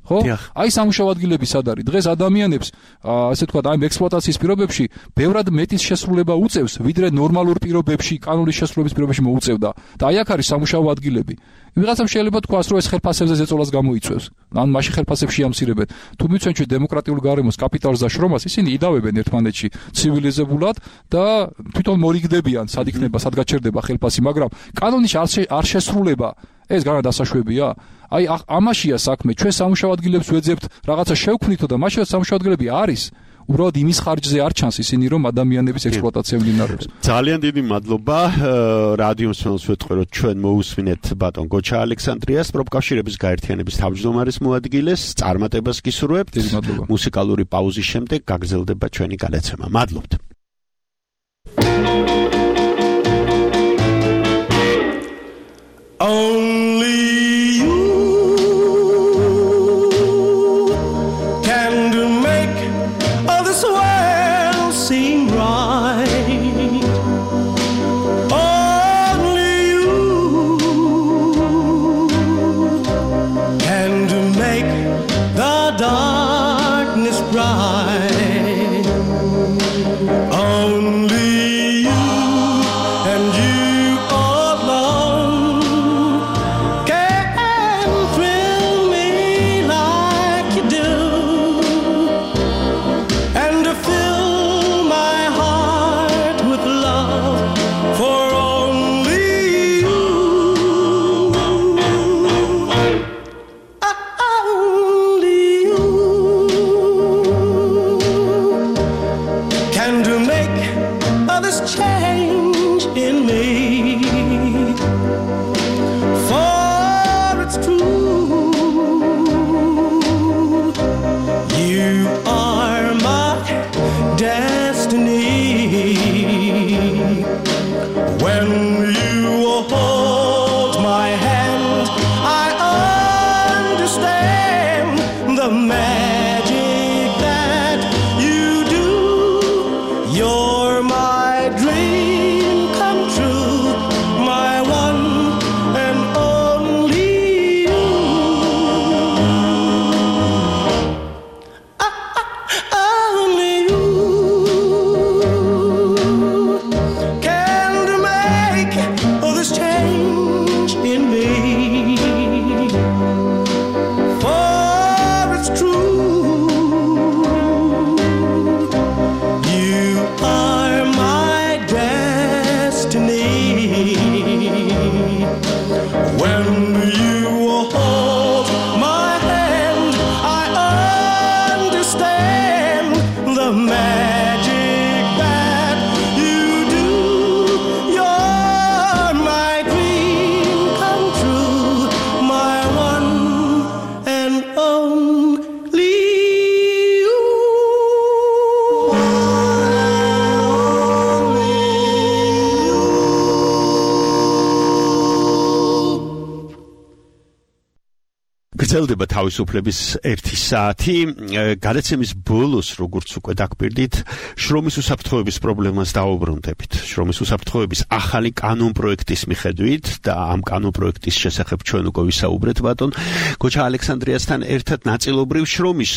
ხო? აი სამუშაო ადგილები სად არის? დღეს ადამიანებს, ასე თქვა, აი ექსპლუატაციის პირობებში ბევრად მეტის შესრულება უწევს, ვიდრე ნორმალურ პირობებში, კანონის შესრულების პირობებში მოუწევდა. და აი აქ არის სამუშაო ადგილები. ვიღაცამ შეიძლება თქვას, რომ ეს ხელფასებზე ზეწოლას გამოიწვევს. ან მაშინ ხელფასებში ამსირებენ. თუ მიცვენ ჩვენ დემოკრატიულ გარემოს კაპიტალს და შრომას, ისინი იდავებენ ერთმანეთში ცივილიზებულად და თვითონ მორიგდებიან, სად იქნება, სად გაჩერდება ხელფასი, მაგრამ კანონის არ შესრულება ეს განა დასაშვებია. აი ამაშია საქმე, ჩვენ სამუშაო ადგილებს ვეძებთ, რაღაცა შევქმნითო და მაშინ სამუშაო ადგილები არის. უბრალოდ იმის ხარჯზე არ ჩანს ისინი, რომ ადამიანების ექსპლუატაცია მიმდინარეობს. ძალიან დიდი მადლობა. რადიო მსმენელს ვეთყეროთ, ჩვენ მოусმინეთ ბატონ გოჩა ალექსანდრიას, პროფკავშირების გაერთიანების თავმჯდომარის მოადგილეს, წარმატებას გისურვებთ. დიდი მადლობა. მუსიკალური პაუზის შემდეგ გაგრძელდება ჩვენი გადაცემა. მადლობთ. Only you can make this world seem right. Only you can make the darkness bright. Only you and you გრძელდება თავისუფლების 1 საათი. გადაცემის ბოლოს, როგორც უკვე დაგპირდით, შრომის უსაფრთხოების პრობლემას დაუბრუნდებით. შრომის უსაფრთხოების ახალი კანონპროექტის მიხედვით და ამ კანონპროექტის შესახებ ჩვენ უკვე ვისაუბრეთ ბატონ გოჩა ალექსანდრიასთან ერთად ნაწილობრივ შრომის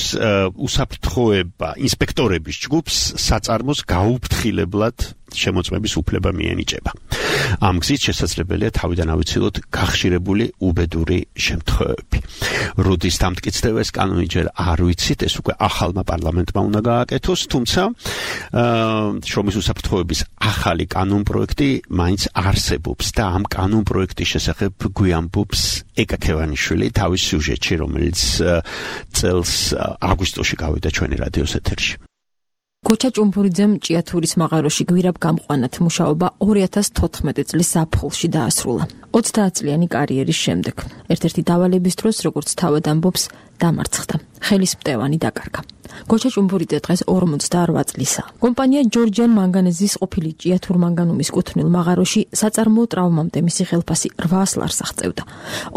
უსაფრთხოება ინსპექტორების ჯგუფს საწარმოს გაუფრთხილებლად შემოწმების უფლება მიენიჭება. ამ გზით შესაძლებელია თავიდან ავიცილოთ გახშირებული უბედური შემთხვევები. რუდის დამტკიცებას კანონი ჯერ არ ვიცით, ეს უკვე ახალმა პარლამენტმა უნდა გააკეთოს, თუმცა შრომის უსაფრთხოების ახალი კანონპროექტი მაინც არსებობს და ამ კანონპროექტის შესახებ გვიამბობს ეკა ქევანიშვილი თავის სიუჟეტში, რომელიც წელს აგვისტოში გავიდა ჩვენი რადიოს ეთერში. გოჩა ჭუმბურიძემ ჭიათურის მაღაროში გვირაბ გამყვანად მუშაობა 2014 წლის ზაფხულში დაასრულა. 30 წლიანი კარიერის შემდეგ ერთ-ერთი დავალების დროს, როგორც თავად ამბობს, დამარცხდა. ხელის მტევანი დაკარგა. გოჩა ჭუმბურიძე დღეს 58 წლისაა. კომპანია ჯორჯიან მანგანეზის ყოფილი ჭიათურ მანგანუმის კუთვნილ მაღაროში საწარმოო ტრავმამდე მისი ხელფასი 800 ლარს აღწევდა.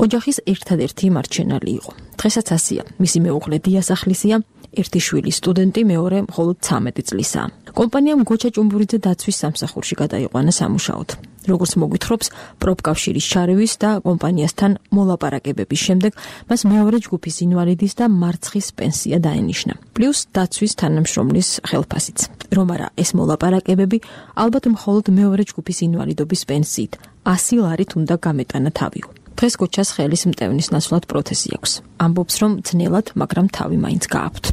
ოჯახის ერთადერთი მარჩენალი იყო. დღესაც ასია. მისი მეუღლე დიასახლისია, ერთი შვილი სტუდენტი, მეორე მხოლოდ 13 წლისაა. კომპანიამ გოჩა ჭუმბურიძე დაცვის სამსახურში გადაიყვანა სამუშაოდ. როგორც მოგვითხრობს, პროფკავშირის ჩარევის და კომპანიასთან მოლაპარაკებების შემდეგ მას მეორე ჯგუფის ინვალიდის და მარცხის პენსია დაენიშნა. პლუს დაცვის თანამშრომლის ხელფასიც. რომ არა ეს მოლაპარაკებები, ალბათ მხოლოდ მეორე ჯგუფის ინვალიდობის პენსიით 100 ლარით უნდა გამეტანა თავიო. დღეს გოჩას ხელის მტევნის ნაცვლად პროთეზი აქვს. ამბობს, რომ ძნელად, მაგრამ თავი მაინც გააქვთ.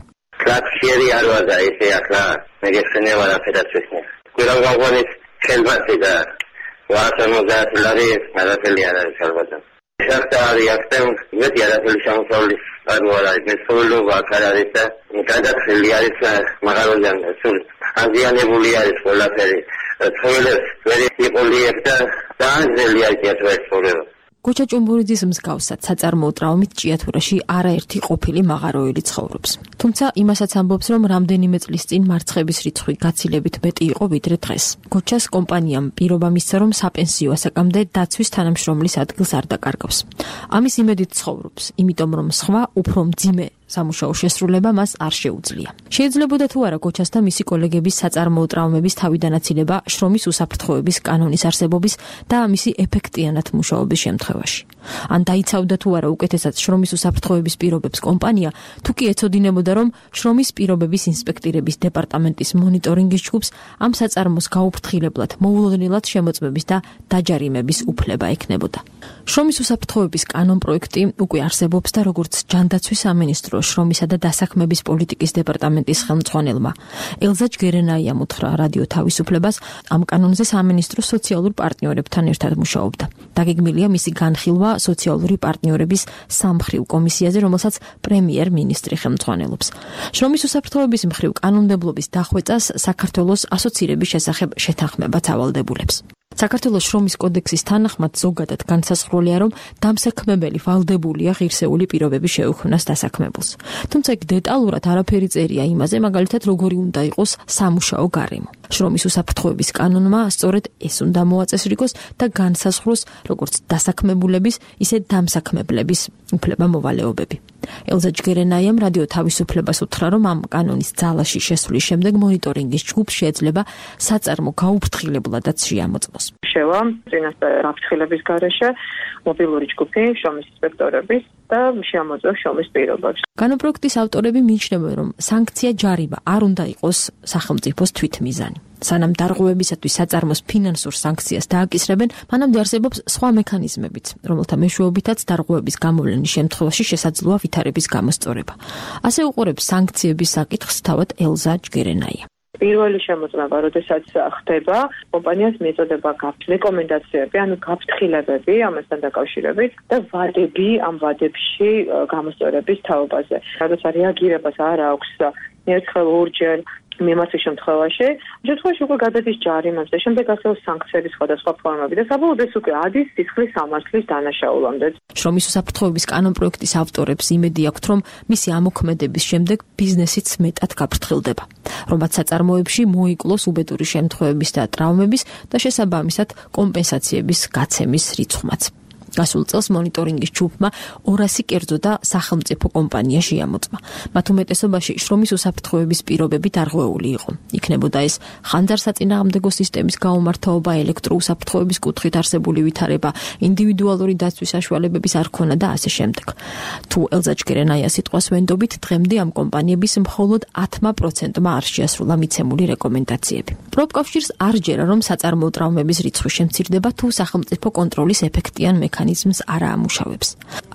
Klaksieri არ ვარ და ესე ახლა მეგეცნია ვარაფერად ვესმე. გვირაბ გამყვანის ხელფასი და 150 ლარი არაფერი არ არის ალბათ. შეხტა არის აქტენ მეტი არაფერი შემოსავლის არ არის. მე სულობა აქ არის და გადახრილი არის მაღაროდან სულ აზიანებული არის ყველაფერი. ცხოველებს ვერ იყოლიებ და დაანძელი აჭიათო ეს პრობლემა. გოჩა ჭუმბურიძის მსგავსად საწარმოო ტრავმით ჭიათურაში არაერთი ყოფილი მაღაროელი ცხოვრობს. თუმცა იმასაც ამბობს, რომ რამდენიმე წლის წინ მარცხების რიცხვი გაცილებით მეტი იყო ვიდრე დღეს. გოჩას კომპანიამ პირობა მისცა, რომ საპენსიო ასაკამდე დაცვის თანამშრომლის ადგილს არ დაკარგავს. ამის იმედით ცხოვრობს, იმიტომ რომ სხვა უფრო მძიმე სამუშაო შესრულება მას არ შეუძლია. შეიძლებოდა თუ არა გოჩას და მისი კოლეგების საწარმოო ტრავმების თავიდანაცილება შრომის უსაფრთხოების კანონის არსებობის და მისი ეფექტიანად მუშაობის შემთხვევაში. ან დაიცავდა თუ არა უკეთესად შრომის უსაფრთხოების პირობებს კომპანია, თუ კი ეცოდინებოდა, რომ შრომის პირობების ინსპექტირების დეპარტამენტის მონიტორინგის ჯგუფს ამ საწარმოს გაუფრთხილებლად მოულოდნელად შემოწმების და დაჯარიმების უფლება ექნებოდა. შრომის უსაფრთხოების კანონ პროექტი უკვე არსებობს და როგორც ჯანდაცვის სამინისტრო შრომისა და დასაქმების პოლიტიკის დეპარტამენტის ხელმძღვანელმა ელზა ჯგერენაიამ უთხრა რადიო თავისუფლებას, ამ კანონზე სამინისტრო სოციალურ პარტნიორებთან ერთად მუშაობდა. დაგეგმილია მისი განხილვა სოციალური პარტნიორების სამმხრივ კომისიაზე, რომელსაც პრემიერ-მინისტრი ხელმძღვანელობს. შრომის უსაფრთხოების მხრივ კანონმდებლობის დახვეწას საქართველოს ასოცირების შესახებ შეთანხმებაც ავალდებულებს. საქართველოს შრომის კოდექსის თანახმად ზოგადად განსაზღვრულია, რომ დამსაქმებელი ვალდებულია ღირსეული პირობების შეუქმნას დასაქმებულს. თუმცა იქ დეტალურად არაფერი წერია იმაზე, მაგალითად როგორი უნდა იყოს სამუშაო გარემო. შრომის უსაფრთხოების კანონმა სწორედ ეს უნდა მოაწესრიგოს და განსაზღვროს როგორც დასაქმებულების, ისე დამსაქმებლების უფლება-მოვალეობები. ელზა ჯგერენაიამ რადიო თავისუფლებას უთხრა, რომ ამ კანონის ძალაში შესვლის შემდეგ მონიტორინგის ჯგუფს შეიძლება საწარმო გაუფრთხილებულადაც შეამოწმოს. შევა წინასწარ გაფრთხილების გარეშე მობილური ჯგუფი შრომის ინსპექტორების და შეამოწმოს შრომის პირობებს. კანონპროექტის ავტორები მიიჩნევენ, რომ სანქცია ჯარიმა არ უნდა იყოს სახელმწიფოს თვითმიზანი. სანამ დარღვევებისათვის საწარმოს ფინანსურ სანქციას დააკისრებენ, მანამდე არსებობს სხვა მექანიზმებიც, რომელთა მეშვეობითაც დარღვევების გამოვლენის შემთხვევაში შესაძლოა ვითარების გამოსწორება. ასე უყურებს სანქციების საკითხს თავად ელზა ჯგერენაია. პირველი შემოწმება, როდესაც ხდება, კომპანიას მიეწოდება რეკომენდაციები, ანუ გაფრთხილებები ამასთან დაკავშირებით და ვადები ამ ვადებში გამოსწორების თაობაზე. როდესაც რეაგირებას არ აქვს ერთხელ ორჯერ მიმართვის შემთხვევაში, შემთხვევაში უკვე გადადის ჯარიმებს და შემდეგ ასევე სანქციების სხვადასხვა ფორმები და საბოლოოდ ეს უკვე ადის სისხლის სამართლის დანაშაულამდე. შრომის უსაფრთხოების კანონპროექტის ავტორებს იმედი აქვთ, რომ მისი ამოქმედების შემდეგ ბიზნესიც მეტად გაფრთხილდება, რომ მათ საწარმოებში მოიკლოს უბედური შემთხვევების და ტრავმების და შესაბამისად კომპენსაციების გაცემის რიცხვმაც. გასულ წელს მონიტორინგის ჯგუფმა 200 კერძო და სახელმწიფო კომპანია შეამოწმა. მათ უმეტესობაში შრომის უსაფრთხოების პირობები დარღვეული იყო. იქნებოდა ეს ხანძარსაწინააღმდეგო სისტემის გაუმართაობა, ელექტროუსაფრთხოების კუთხით არსებული ვითარება, ინდივიდუალური დაცვის საშუალებების არქონა და ასე შემდეგ. თუ ელზა ჯგერენაიას სიტყვას ვენდობით, დღემდე ამ კომპანიების მხოლოდ 10%-მა არ შეასრულა მიცემული რეკომენდაციები. პროფკავშირს არ ჯერა, რომ საწარმოო ტრავმების რიცხვი შემცირდება, თუ სახელმწიფო კონტროლის ეფექტიან მექანიზმს არ ამუშავებს.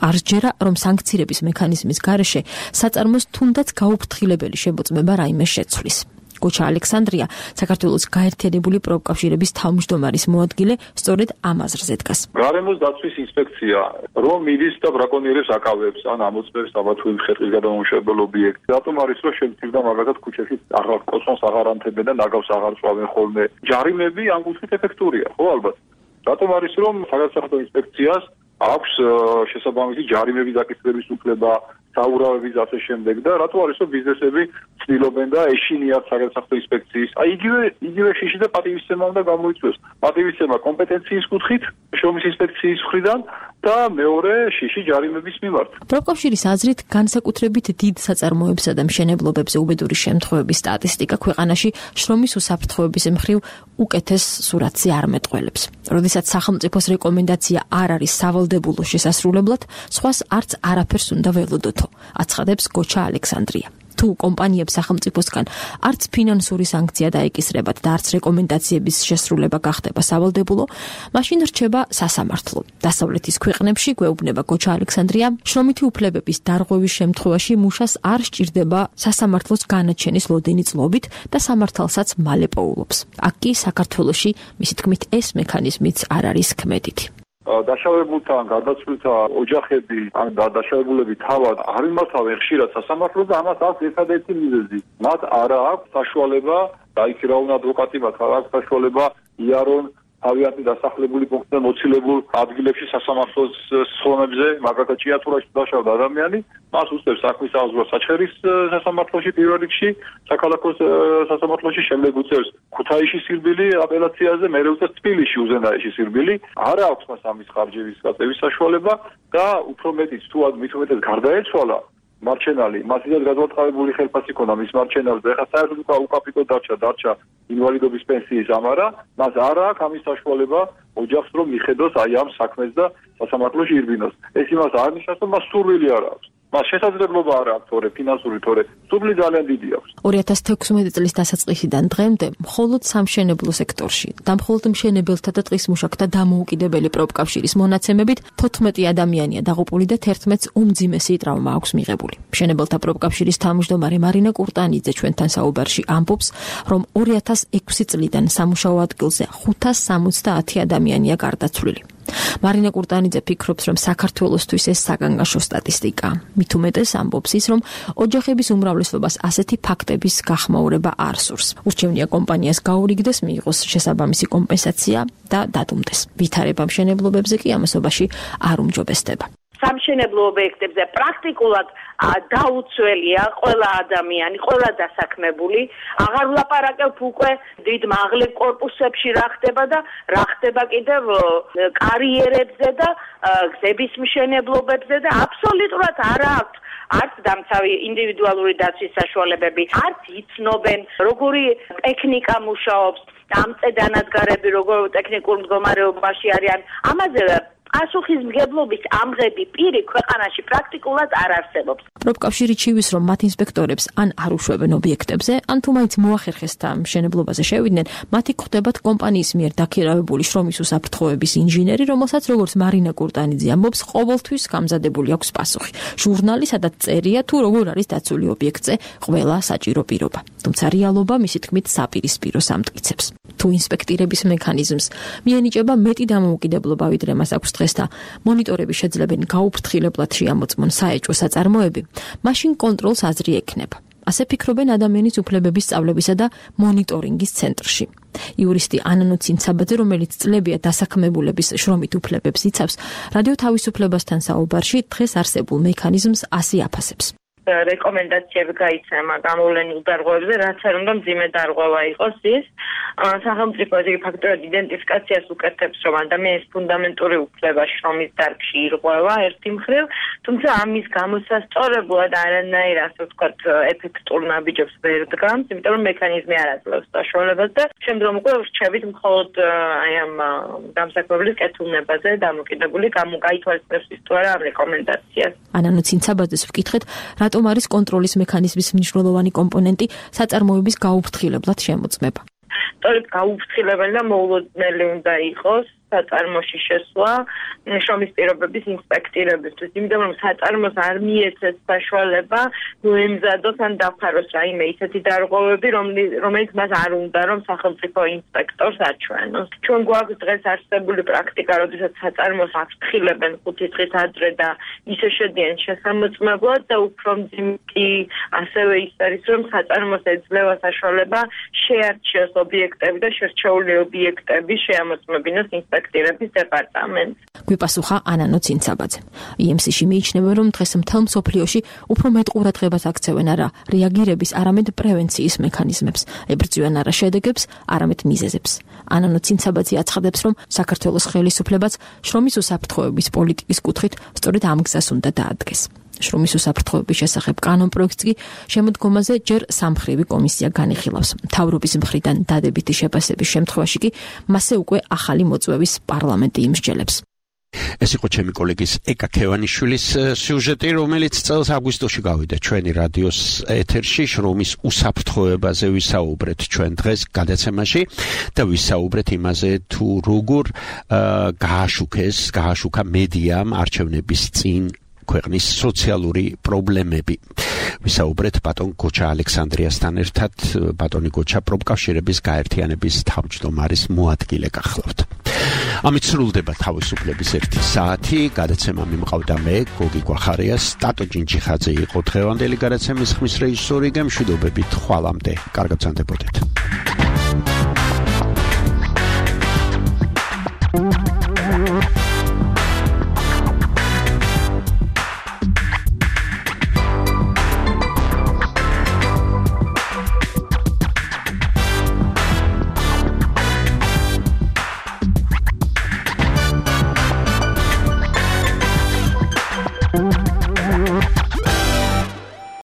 არ ჯერა, რომ სანქცირების მექანიზმის გარეშე საწარმოს თუნდაც გაუფრთხილებელი შემოწმება რაიმე შეცვლის. გოჩა ალექსანდრია, საქართველოს გაერთიანებული პროფკავშირების თავმჯდომარის მოადგილე, სწორედ ამ აზრზე დგას. გარემოს დაცვის ინსპექცია რომ მიდის და ბრაკონიერებს აკავებს ან ამოწმებს საბათუი ხეტის გადამამუშავებელ ობიექტს. რატომ არის რომ შემთხვევით მაგალითად ქუჩაში აღარ კოსმოს აღარ ანთებენ და ნაგავს აღარ წვავენ ხოლმე. ჯარიმები ამ კუთხით ეფექტურია, ხო ალბათ. რატომ არის რომ საგადასახადო ინსპექციას აქვს შესაბამისი ჯარიმების დაკისრების უფლება, საურავების ასე შემდეგ და რატო არის რომ ბიზნესები ცდილობენ და ეშინიათ საგადასახადო ინსპექციის. აი იგივე შიში და პატივისცემა უნდა გამოიწვიოს. პატივისცემა კომპეტენციის კუთხით, შრომის ინსპექციის მხრიდან და მეორე შიში ჯარიმების მიმართ. პროფკავშირის აზრით, განსაკუთრებით დიდ საწარმოებსა და მშენებლობებზე უბედური შემთხვევების სტატისტიკა ქვეყანაში შრომის უსაფრთხოების მხრივ უკეთეს სურათზე არ მეტყველებს. როდესაც სახელმწიფოს რეკომენდაცია არ არის სავალდებულო შესასრულებლად, სხვას არც არაფერს უნდა ველოდოთო, აცხადებს გოჩა ალექსანდრია. თუ კომპანიებს სახელმწიფოსგან არც ფინანსური სანქცია დაეკისრებათ და არც რეკომენდაციების შესრულება გახდება სავალდებულო, მაშინ რჩება სასამართლო. დასავლეთის ქვეყნებში, გვეუბნება გოჩა ალექსანდრია, შრომითი უფლებების დარღვევის შემთხვევაში მუშას არ სჭირდება სასამართლოს განაჩენის ლოდინი წლობით და სამართალსაც მალე პოულობს. აქ კი საქართველოში, მისი თქმით, ეს მექანიზმიც არ არის ქმედითი. დაშავებულთან გადაცვლილთა ოჯახები ან დაშავებულები თავად არ იმართავენ ხშირად სასამართლოს და ამას აქვს ერთადერთი მიზეზი. მათ არ აქვს საშუალება დაიქირავონ ადვოკატი, მათ არ აქვს საშუალება იარონ თავიანთი დასახლებული პუნქტიდან მოცილებულ ადგილებში სასამართლოს სხდომებზე, მაგალითად ჭიათურაში დაშავდა ადამიანი, მას უსწრებს საქმის აღზრდა საჩხერის სასამართლოში პირველ რიგში, საქალაქო სასამართლოში, შემდეგ უწევს ქუთაისის სირბილი აპელაციაზე, მერე უწევს თბილისში უზენაეში სირბილი. არ აქვს მას ამის ხარჯების გაწევის საშუალება და უფრო მეტიც თუ მით უმეტეს გარდაეცვალა მარჩენალი, მას ისეთ გადმოწყალებული ხელფასი ქონდა მის მარჩენალზე, ეხლა საერთოდ უკაპიტო დარჩა ინვალიდობის პენსიის ამარა, მას არ აქვს ამის საშუალება ოჯახს რომ მიხედოს აი ამ საქმეს და სასამართლოში ირბინოს. ეს იმას არ ნიშნავს, რომ მას სურვილი არ აქვს. მას შესაძლებლობა არ აქვს, თორე ფინანსური, თორე სურვილი ძალიან დიდი აქვს. 2016 წლის დასაწყისიდან დღემდე მხოლოდ სამშენებლო სექტორში და მხოლოდ მშენებელთა და ტყის მუშაკთა დამოუკიდებელი პროფკავშირის მონაცემებით 14 ადამიანია დაღუპული და 11-ს უმძიმესი ტრავმა აქვს მიღებული. მშენებელთა პროფკავშირის თავმჯდომარე მარინა კურტანიძე ჩვენთან საუბარში ამბობს, რომ 2006 წლიდან სამუშაო ადგილზე 570 ადამიანია გარდაცვლილი. მარინა კურტანიძე ფიქრობს, რომ საქართველოსთვის ეს საგანგაშო სტატისტიკაა. მით უმეტეს ამბობს ის, რომ ოჯახების უმრავლესობას ასეთი ფაქტების გახმაურება არ სურს. ურჩევნია კომპანიას გაურიგდეს, მიიღოს შესაბამისი კომპენსაცია და დადუმდეს. ვითარება მშენებლობებზე კი ამასობაში არ უმჯობესდება. სამშენებლო ობიექტებზე პრაქტიკულად დაუცველია ყველა ადამიანი, ყველა დასაქმებული. აღარ ვლაპარაკებ უკვე დიდ მაღლებ კორპუსებში რა ხდება და რა ხდება კიდევ კარიერებზე და გზების მშენებლობებზე და აბსოლუტურად არ აქვს არც დამცავი ინდივიდუალური დაცვის საშუალებები, არც იცნობენ როგორი ტექნიკა მუშაობს, ამ წედანადგარები როგორ ტექნიკურ მდგომარეობაში არიან. ამაზე პასუხისმგებლობის ამღები პირი ქვეყანაში პრაქტიკულად არ არსებობს. პროფკავშირი ჩივის, რომ მათ ინსპექტორებს ან არ უშვებენ ობიექტებზე, ან თუ მაინც მოახერხეს და მშენებლობაზე შევიდნენ, მათი გვხვდებათ კომპანიის მიერ დაქირავებული შრომის უსაფრთხოების ინჟინერი, რომელსაც როგორც მარინა კურტანიძე ამბობს, ყოველთვის გამზადებული აქვს პასუხი. ჟურნალი, სადაც წერია თუ როგორ არის დაცული ობიექტზე ყველა საჭირო პირობა. თუმცა რეალობა მისი თქმით საპირისპირო სამტკიცებს. თუ ინსპექტირების მექანიზმს მიენიჭება მეტი დამოუკიდებლობა, ვიდრე მას აქვს დღეს და მონიტორები შეძლებენ გაუფრთხილებლად შეამოწმონ საეჭვო საწარმოები, მაშინ კონტროლს აზრი ექნება. ასე ფიქრობენ ადამიანის უფლებების სწავლებისა და მონიტორინგის ცენტრში. იურისტი ანანუ ცინცაბაძე, რომელიც წლებია დასაქმებულების შრომით უფლებებს იცავს, რადიო თავისუფლებასთან საუბარში დღეს არსებულ მექანიზმს ასე აფასებს. რეკომენდაციები გაიცემა გამოვლენილ დარღვევებზე, რაც არ უნდა მძიმე დარღვევა იყოს ის. სახელმწიფო ეს ფაქტორად იდენტიფიკაციას უკეთებს, რომ ადამიანის ფუნდამენტური უფლება შრომის დარგში ირღვევა ერთი მხრივ, თუმცა ამის გამოსასწორებლად არანაირ ასე ვთქვათ ეფექტურ ნაბიჯებს ვერ დგამს, იმიტომ რომ მექანიზმი არ აძლევს საშუალებას და შემდგომ უკვე რჩებით მხოლოდ აი ამ დამსაქმებლის კეთილნებაზე დამოკიდებული გამოითვალისწინებს ის თუ არა ამ რეკომენდაციას. ანანუ ცინცაბაძეს ვკითხეთ, რატომ არის კონტროლის მექანიზმის მნიშვნელოვანი კომპონენტი საწარმოების გაუფრთხილებლად შემოწმება. სწორედ გაუფრთხილებელი და მოულოდნელი უნდა იყოს საწარმოში შესვლა შრომის პირობების ინსპექტირებისთვის, იმიტომ რომ საწარმოს არ მიეცეს საშუალება მოემზადოს ან დაფაროს რაიმე ისეთი დარღვევები, რომელიც მას არ უნდა რომ სახელმწიფო ინსპექტორს აჩვენოს. ჩვენ გვაქვს დღეს არსებული პრაქტიკა, როდესაც საწარმოს აფრთხილებენ 5 დღით ადრე და ისე შედიან შესამოწმებლად და უფრო მძიმე ასევე ის არის, რომ საწარმოს ეძლევა საშუალება შეარჩიოს ობიექტები და შერჩეული ობიექტები შეამოწმებინოს ინსპექტირების დეპარტამენტს. გვიპასუხა ანანო ცინცაბაძე. IMC-ში მიიჩნევა, რომ დღეს მთელ მსოფლიოში უფრო მეტ ყურადღებას აქცევენ არა რეაგირების, არამედ პრევენციის მექანიზმებს, ებრძვიან არა შედეგებს, არამედ მიზეზებს. ანანო ცინცაბაძე აცხადებს, რომ საქართველოს ხელისუფლებაც შრომის უსაფრთხოების პოლიტიკის კუთხით სწორედ ამ გზას უნდა დაადგეს. შრომის უსაფრთხოების შესახებ კანონპროექტს კი შემოდგომაზე ჯერ სამხრივი კომისია განიხილავს. მთავრობის მხრიდან დადებითი შეფასების შემთხვევაში კი მასზე უკვე ახალი მოწვევის პარლამენტი იმსჯელებს. ეს იყო ჩემი კოლეგის ეკა ქევანიშვილის სიუჟეტი, რომელიც წელს აგვისტოში გავიდა ჩვენი რადიოს ეთერში. შრომის უსაფრთხოებაზე ვისაუბრეთ ჩვენ დღეს გადაცემაში და ვისაუბრეთ იმაზე, თუ როგორ გააშუქა მედიამ არჩევნების წინ ქვეყნის სოციალური პრობლემები. ვისაუბრეთ ბატონ გოჩა ალექსანდრიასთან ერთად. ბატონი გოჩა პროფკავშირების გაერთიანების თავმჯდომარის მოადგილე გახლავთ. ამით სრულდება თავისუფლების 1 საათი. გადაცემა მიმყავდა მე, გოგი გვახარიას. ტატო ჯინჯიხაძე იყო დღევანდელი გადაცემის ხმის რეჟისორი. გემშვიდობებით ხვალამდე. კარგად ვსანდებოდეთ.